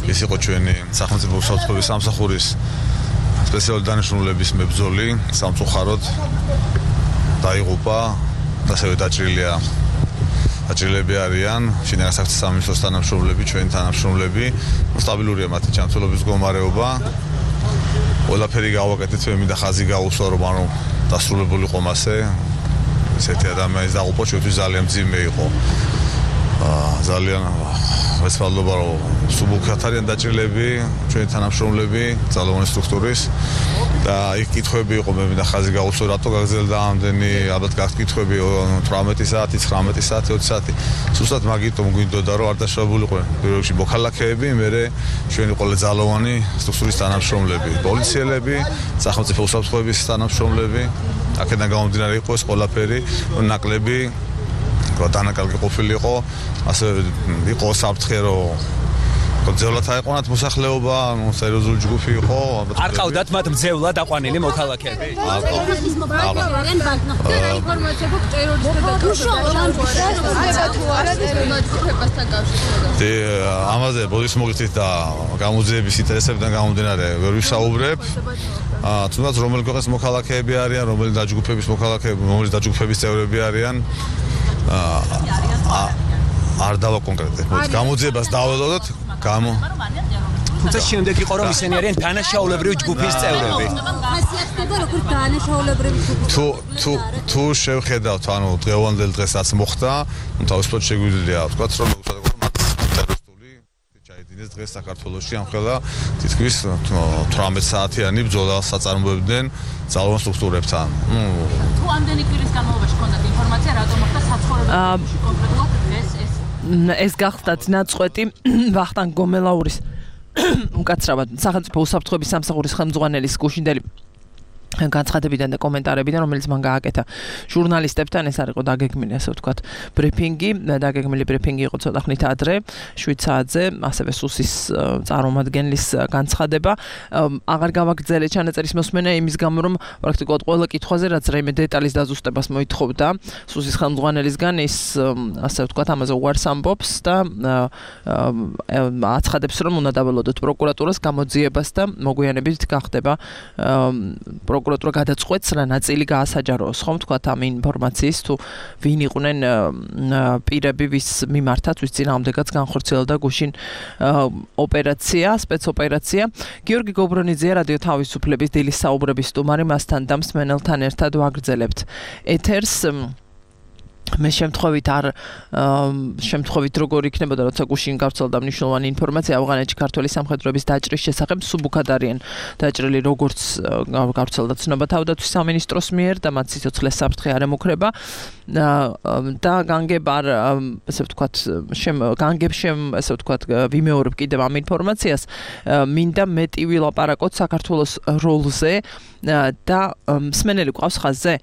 ის იყო ჩვენი სახელმწიფო უსაფრთხოების სამსახურის სპეციალური დანიშნულების მებრძოლი, სამწუხაროდ დაიღუპა, ასევე დაჭრილები არიან, შინაგან საქმეთა სამინისტროს თანამშრომლები, ჩვენი თანამშრომლები, სტაბილურია მათი ჯანმრთელობის მდგომარეობა. ყველაფერი გავაკეთეთ, მე მინდა ხაზი გაუსვა, რომ დასრულებულიყო მასე. ესეთი ადამიანის დაღუპვა ჩვენთვის ძალიან მძიმე იყო. ძალიან ვესწავლობა, რომ სუბუქად არიან დაჭრილები, ჩვენი თანამშრომლები, ძალოვანი სტრუქტურის და იქ კითხვები იყო, მე მინდა ხაზი გაუსვა, რატო გაგრძელდა ამდენი, ალბათ გაქვთ კითხვები 18 საათი, 19 საათი, 20 საათი. სუსტად მაგიტომ გვინდოდა, რომ არ დაშავებულიყო პირველ რიგში მოქალაქეები, მერე ჩვენი ყველა ძალოვანი სტრუქტურის თანამშრომლები, პოლიციელები, სახელმწიფო უსაფრთხოების თანამშრომლები. აქედან გამომდინარე იყო ეს ყველაფერი, ნაკლები დანაკარგი ყოფილიყო, ასევე იყო საფრთხე, რომ ძევლად აეყვანათ მოსახლეობა, სერიოზული ჯგუფი იყო. არ ყავდათ მათ მძევლად აყვანილი მოქალაქეები? ამაზე ბოდის მოგიწით და გამოძიების ინტერესებიდან გამომდინარე ვერ ვისაუბრებ. თუნდაც რომელი ქვეყნის მოქალაქეები არიან, რომელი დაჯგუფების მოქალაქეები, რომელი დაჯგუფების წევრები არიან. არ დავაკონკრეტებ. გამოძიებას დაველოდოთ. თუმცა შემდეგ იყო რომ ისინი არიან დანაშაულებრივი ჯგუფის წევრები. ხასიათდება როგორც დანაშაულებრივი ჯგუფის. თუ შევხედავთ, ანუ დღევანდელ დღესაც მოხდა, თავისუფლად შეგვიძლია ვთქვათ, რომ ტერორისტული ჩაიდინეს დღეს საქართველოში ამხელა თითქმის 18 საათიანი ბრძოლა საწარმოებდნენ ძალოვან სტრუქტურებთან. თუ ამდენი კვირის განმავლობაში ჰქონდათ ინფორმაცია, რატომ მოხდა საცხოვრებელში კონკრეტულად ეს გახლდათ ნაწყვეტი ვახტანგ გომელაურის უკაცრავად სახელმწიფო უსაფრთხოების სამსახურის ხელმძღვანელის გუშინდელი განცხადებიდან და კომენტარებიდან, რომელიც მან გააკეთა ჟურნალისტებთან. ეს არ იყო დაგეგმილი, ასე ვთქვათ, ბრიფინგი, დაგეგმილი ბრიფინგი იყო ცოტა ხნით ადრე, 7 საათზე, ასევე სუსის წარმომადგენლის განცხადება. აღარ გავაგრძელე ჩანაწერის მოსმენა იმის გამო, რომ პრაქტიკულად ყველა კითხვაზე, რაც რაიმე დეტალის დაზუსტებას მოითხოვდა სუსის ხელმძღვანელისგან, ის, ასე ვთქვათ, ამაზე უარს ამბობს და აცხადებს, რომ უნდა დაველოდოთ პროკურატურას გამოძიებას და მოგვიანებით გახდება პროკურატურა გადაწყვეტს რა ნაწილი გაასაჯაროოს, ხომ თქვათ ამ ინფორმაციის თუ ვინ იყვნენ პირები, ვის მიმართაც, ვის წინააღმდეგაც განხორციელდა გუშინ ოპერაცია, სპეცოპერაცია. გიორგი გობრონიძე, რადიო თავისუფლების დილის საუბრების სტუმარი, მასთან და მსმენელთან ერთად ვაგრძელებთ ეთერს. მე შემთხვევით როგორ იქნებოდა, როცა გუშინ გავრცელდა მნიშვნელოვანი ინფორმაცია ავღანეთში ქართველი სამხედროების დაჭრის შესახებ, სუბუქად არიან დაჭრილი, როგორც გავრცელდა ცნობა თავდაცვის სამინისტროს მიერ და მათ სიცოცხლეს საფრთხე არ ემუქრება და განგებ არ, ასე ვთქვათ, ასე ვთქვათ, ვიმეორებ კიდევ ამ ინფორმაციას, მინდა მეტი ვილაპარაკოთ საქართველოს როლზე და მსმენელი ყავს ხაზზე.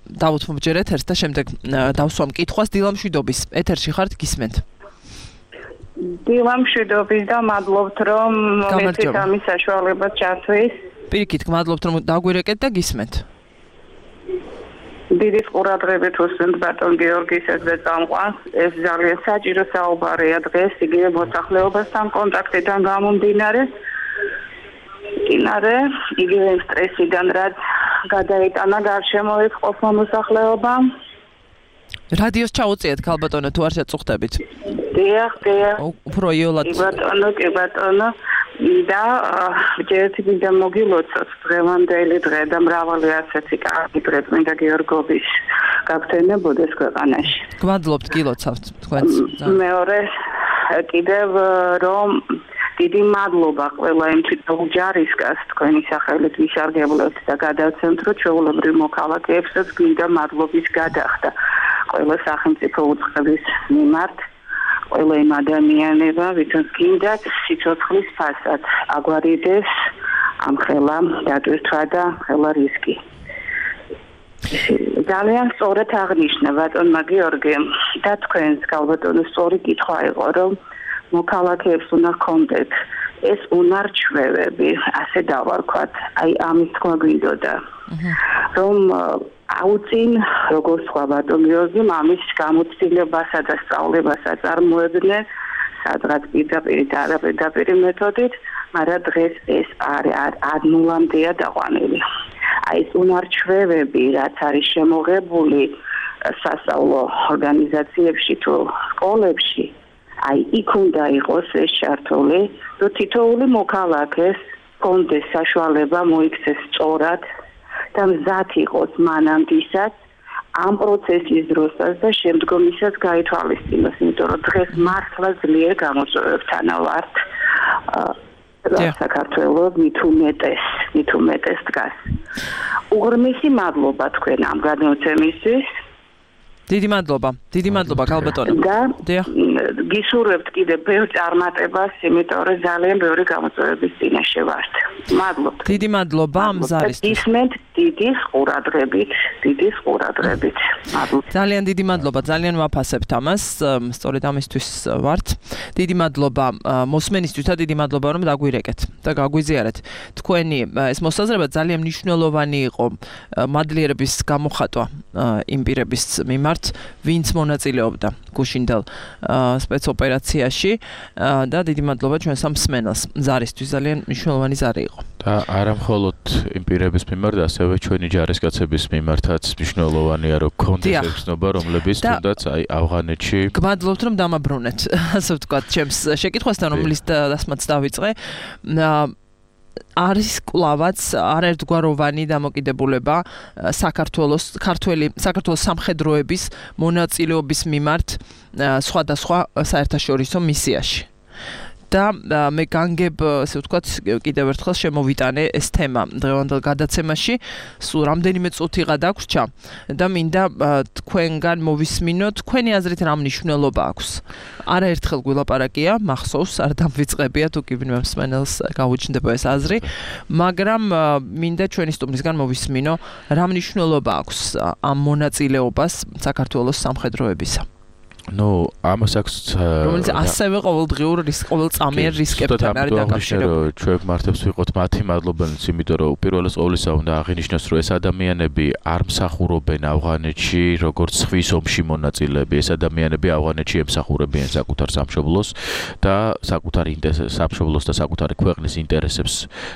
დავუთ მომჯერეთ ერთ და შემდეგ დავსვამ კითხვას დილამშვიდობის ეთერში ხართ გისმენთ. დილამშვიდობის და მადლობთ რომ მეცით ამის საშუალებას ჩათვლის. პირიქით გმადლობთ რომ დაგვირეკეთ და გისმენთ. დიდი ყურადღებით უსმენთ ბატონ გიორგის ეს წამყვანს. ეს ძალიან საჭირო საუბარია დღეს იგივე მოსახლეობასთან კონტაქტიდან გამომდინარე. იგივე სტრესიდან რაც გადაიტანა გარშემოეთ ყოფნა მოსახლეობა. რადიოს ჩაუწიეთ ქალბატონო თუ არ შეწუხდებით. დიახ. უფრო იოლად. კი ბატონო. და ჯერთ მინდა მოგილოცოთ დღევანდელი დღე და მრავალი ასეთი კარგი დღე მინდა გიორგობის გაგრძელებოდეს ქვეყანაში. გმადლობთ გილოცავთ თქვენს. მეორე კიდევ რომ დიდი მადლობა ყველა იმ თვითონ ჯარისკაცს თქვენი სახელით ვისარგებლოთ და გადავცემთ რომ ჩვეულებრივ მოქალაქეებსაც გვინდა მადლობის გადახდა ყველა სახელმწიფო უწყების მიმართ ყველა იმ ადამიანებმა ვისაც გინდათ სიცოცხლის ფასად აგვარიდეს ამ ხელა დატვირთვა და ხელა რისკი. ძალიან სწორად აღნიშნა ბატონმა გიორგემ და თქვენს გალბატონო სწორი კითხვა იყო, რომ მოქალაქეებს უნდა ჰქონდეთ ეს უნარჩვევები, ასე დავარქვათ, აი ამის თქმა გვინდოდა. რომ აუწინ როგორც სხვა ბატონი გიორგი მამის გამოცდილებასა და სწავლებასა წარმოებდნენ სადღაც პირდაპირ და არაპირდაპირ მეთოდით, მაგრამ დღეს ეს არ ნულამდეა დაყვანილი. აი ეს უნარჩვევები, რაც არის შემოღებული სასწავლო ორგანიზაციებში თუ სკოლებში, აი იქ უნდა იყოს ეს ჩართული, რომ თითოეული მოქალაქეს ჰქონდეს საშუალება მოიქცეს სწორად და მზად იყოს მანამდესაც ამ პროცესის დროსაც და შემდგომისაც გაითვალისწინოს, იმიტომ რომ დღეს მართლა ძლიერ გამოწვევებთან ვართ. საქართველოს მით უმეტეს დგას. უღრმესი მადლობა თქვენ ამ გადმოცემისთვის. დიდი მადლობა გალბატონო. და გისურვებთ კიდე ბევრ წარმატებას, იმიტომ რომ ძალიან ბევრი გამოწვევების წინაშე ვართ. მადლობთ. დიდი მადლობა ამ ზარისთვის. ისმენთ დიდი ყურადღებით. მადლობა. ძალიან დიდი მადლობა, ძალიან ვაფასებთ ამას, სწორედ ამისთვის ვართ. დიდი მადლობა მოსმენისთვის და დიდი მადლობა რომ დაგვირეკეთ და გაგვიზიარეთ. თქვენი ეს მოსაზრება ძალიან მნიშვნელოვანი იყო მადლიერების გამოხატვა იმ პირების მიმართ, ვინც მონაწილეობდა გუშინდელ სპეცოპერაციაში და დიდი მადლობა ჩვენ სამსმენელს. ზარისთვის ძალიან მნიშვნელოვანი ზარი იყო. და არა მხოლოდ იმ პირების მიმართ, ასევე ჩვენი ჯარისკაცების მიმართაც მნიშვნელოვანია, რომ გქონდეს ეხსნობა, რომლებიც თუნდაც აი ავღანეთში. გმადლობთ, რომ დამაბრუნეთ, ასე ვთქვათ, ჩემს შეკითხვასთან, რომლის დასმაც დავიწყე. არის კლავაც არაერთგვაროვანი დამოკიდებულება საქართველოს სამხედროების მონაწილეობის მიმართ სხვადასხვა საერთაშორისო მისიაში. და მე განგებ, ასე ვთქვათ, კიდევ ერთხელ შემოვიტანე ეს თემა დღევანდელ გადაცემაში. სულ რამდენიმე წუთი გადაგვრჩა და მინდა თქვენგან მოვისმინო, თქვენი აზრით რა მნიშვნელობა აქვს. არაერთხელ გვილაპარაკია, მახსოვს, არ დამვიწყებია თუ კი მსმენელს გაუჩნდება ეს აზრი, მაგრამ მინდა ჩვენი სტუმრისგან მოვისმინო, რა მნიშვნელობა აქვს ამ მონაწილეობას საქართველოს სამხედროებისა. ამას აქვს რომელიც ასევე ყოველწამიერ რისკებთან არის დაკავშირებული. ჩვენ მართებს ვიყოთ მათი მადლობელიც, იმიტომ რომ უპირველეს ყოვლისა უნდა აღინიშნოს, რომ ეს ადამიანები არ მსახურობენ ავღანეთში როგორც ხვის ომში მონაწილეები. ეს ადამიანები ავღანეთში ემსახურებიან საკუთარ სამშობლოს და სამშობლოს და საკუთარი ქვეყნის ინტერესებს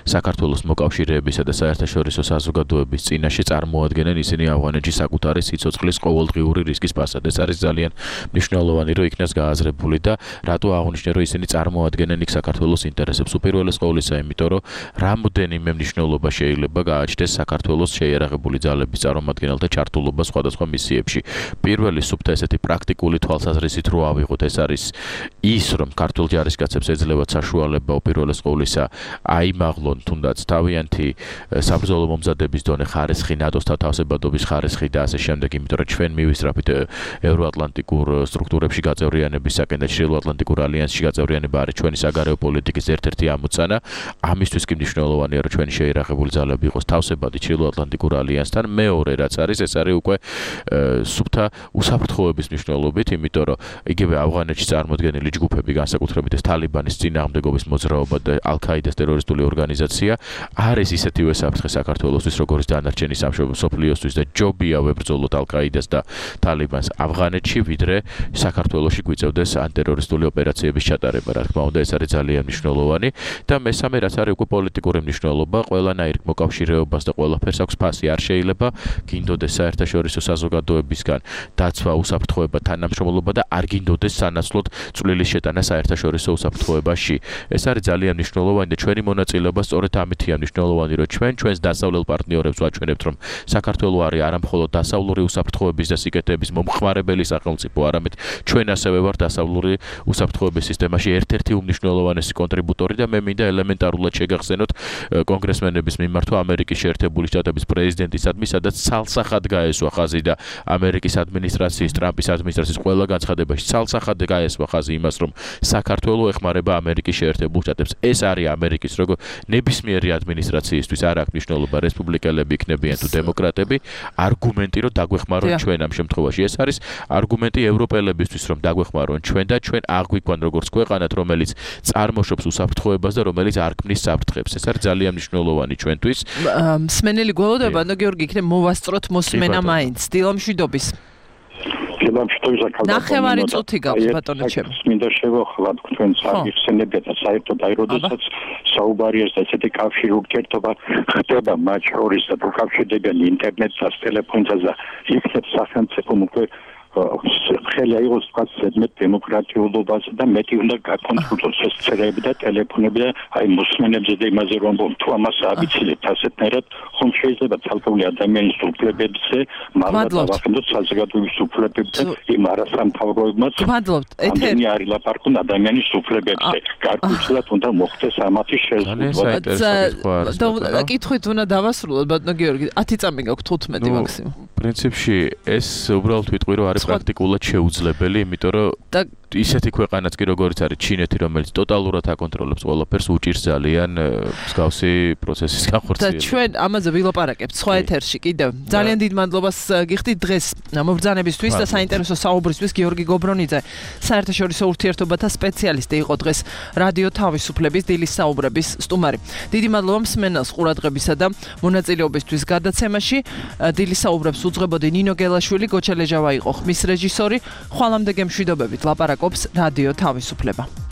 საქართველოს მოკავშირეებისა და საერთაშორისო საზოგადოების წინაშე წარმოადგენენ. ისინი ავღანეთში საკუთარი სიცოცხლის ყოველდღიური რისკის ფასად. ეს არის ძალიან მნიშვნელოვანი, რომ იქნას გააზრებული და რატო აღნიშნე, რომ ისინი წარმოადგენენ იქ საქართველოს ინტერესებს. უპირველეს ყოვლისა, იმიტომ რომ რამდენიმე მნიშვნელობა შეიძლება გააჩნდეს საქართველოს შეიარაღებული ძალების წარმომადგენელთა ჩართულობა სხვადასხვა მისიებში. პირველი სუფთა ესეთი პრაქტიკული თვალსაზრისით რო ავიღოთ, ეს არის ის, რომ ქართულ ჯარისკაცებს ეძლევათ საშუალება უპირველეს ყოვლისა აიმაღლონ თუნდაც თავიანთი საბრძოლო მომზადების დონე ხარისხი, ნატოს თავსებადობის ხარისხი და ასე შემდეგ, იმიტომ რომ ჩვენ მივისწრაფით ევროატლანტიკურ სტრუქტურებში გაწევრიანებისაკენ და ჩრდილოატლანტიკურ ალიანსში გაწევრიანება არის ჩვენი საგარეო პოლიტიკის ერთ-ერთი ამოცანა. ამისთვის კი მნიშვნელოვანია, რომ ჩვენი შეიარაღებული ძალები იყოს თავსებადი ჩრდილოატლანტიკურ ალიანსთან. მეორე რაც არის, ეს არის უკვე სუფთა უსაფრთხოების მნიშვნელობით, იმიტომ რომ იგივე ავღანეთში წარმოდგენილი ჯგუფები, განსაკუთრებით ეს თალიბანის წინააღმდეგობის მოძრაობა და ალ-ქაიდას ტერორისტული ორგანიზაცია არის ისეთივე საფრთხე საქართველოსთვის, როგორც დანარჩენი მსოფლიოსთვის და ჯობია ვებრძოლოთ ალ-ქაიდას და თალიბანს ავღანეთში, ვიდრე საქართველოში გვიწევდეს ანტერორისტული ოპერაციების ჩატარება. რა თქმა უნდა, ეს არის ძალიან მნიშვნელოვანი და მესამე რაც არის უკვე პოლიტიკური მნიშვნელობა, ყველანაირ მოკავშირეობას და ყველაფერს აქვს ფასი. არ შეიძლება გინდოდეს საერთაშორისო საზოგადოებისგან დაცვა, უსაფრთხოება, თანამშრომლობა და არ გინდოდეს სანაცვლოდ წვლილის შეტანა საერთაშორისო უსაფრთხოებაში. ეს არის ძალიან მნიშვნელოვანი და ჩვენი მონაწილეობა სწორედ ამითია მნიშვნელოვანი, რომ ჩვენს დასავლელ პარტნიორებს ვაჩვენებთ, რომ საქართველო არის არა მხოლოდ დასავლური უსაფრთხოების და სიკეთეების მომხმარებელი სახელმწიფო, არამედ ამით ჩვენ ასევე ვართ დასავლური უსაფრთხოების სისტემაში ერთ-ერთი უმნიშვნელოვანესი კონტრიბუტორი და მე მინდა ელემენტარულად შეგახსენოთ კონგრესმენების მიმართვა ამერიკის შეერთებული შტატების პრეზიდენტისადმი, სადაც ცალსახად გაესვა ხაზი და ამერიკის ადმინისტრაციის, ტრამპის ადმინისტრაციის ყველა განცხადებაში ცალსახად გაესვა ხაზი იმას, რომ საქართველო ეხმარება ამერიკის შეერთებულ შტატებს. ეს არის ამერიკის როგორ ნებისმიერი ადმინისტრაციისთვის არ აქვს მნიშვნელობა რესპუბლიკელები იქნებიან თუ დემოკრატები, არგუმენტი რომ დაგვეხმარონ ჩვენ ამ შემთხვევაში. ეს არის არგუმენტი ევროპელებისთვის რომ დაგვეხმარონ ჩვენ და ჩვენ აღვიქვან როგორც ქვეყანად, რომელიც წარმოშობს უსაფრთხოებას და რომელიც არ ქმნის საფრთხებს. ეს არის ძალიან მნიშვნელოვანი ჩვენთვის. მსმენელი გველოდება, გიორგი, იქნებ მოვასწროთ მოსმენა მაინც. დილამშვიდობის. ნახევარი წუთი გაქვს ბატონო ჩემო. მინდა შევახლა თქვენ საიხსენებიათ და საერთოდ აი როდესაც საუბარია და ესეთი კავშირი ურთიერთობა ხდება მათ შორის და უკავშირდებიან ინტერნეტს და ტელეფონს და იქნებ სახელმწიფო უკვე ხელი აიღოს თქვათ ზედმეტ დემოკრატიულობას და მეტი უნდა გაკონტროლოს ეს წერები და ტელეფონები და აი მოსმენებზე და იმაზე რომ თუ ამას აბიცილეთ ასეთნაირად ხომ შეიძლება ცალკეული ადამიანის უფლებებზე მაგრამ დავახდოთ საზოგადოების უფლებებზე იმ არასამთავროებმაც მადლობთ ეთერი არის ლაპარაკობ ადამიანის უფლებებზე გარკვეულად უნდა მოხდეს ამათი შეზღუდვა და კითხვით უნდა დავასრულოთ ბატონო გიორგი 10 წამი გაქვს 15 მაქსიმუმ პრინციპში ეს უბრალოდ ვიტყვი რომ არის პრაქტიკულად შეუძლებელი, იმიტომ რომ ისეთი ქვეყანაც კი როგორც არის ჩინეთი, რომელიც ტოტალურად აკონტროლებს ყველაფერს, უჭირს ძალიან მსგავსი პროცესის განხორციელებას. და ჩვენ ამაზე ვილაპარაკებთ სხვა ეთერში კიდევ. ძალიან დიდ მადლობას გიხდით დღეს მობრძანებისთვის და საინტერესო საუბრისთვის გიორგი გობრონიძე, საერთაშორისო ურთიერთობათა სპეციალისტი იყო დღეს რადიო თავისუფლების დილის საუბრების სტუმარი. დიდი მადლობა მსმენელს ყურადღებისა და მონაწილეობისთვის გადაცემაში. დილის საუბრებს უძღვებოდი ნინო გელაშვილი, გოჩა ლეჟავა იყო ხმის რეჟისორი. ხვალამდე გემშვიდობებით ლაპარაკობს რადიო თავისუფლება.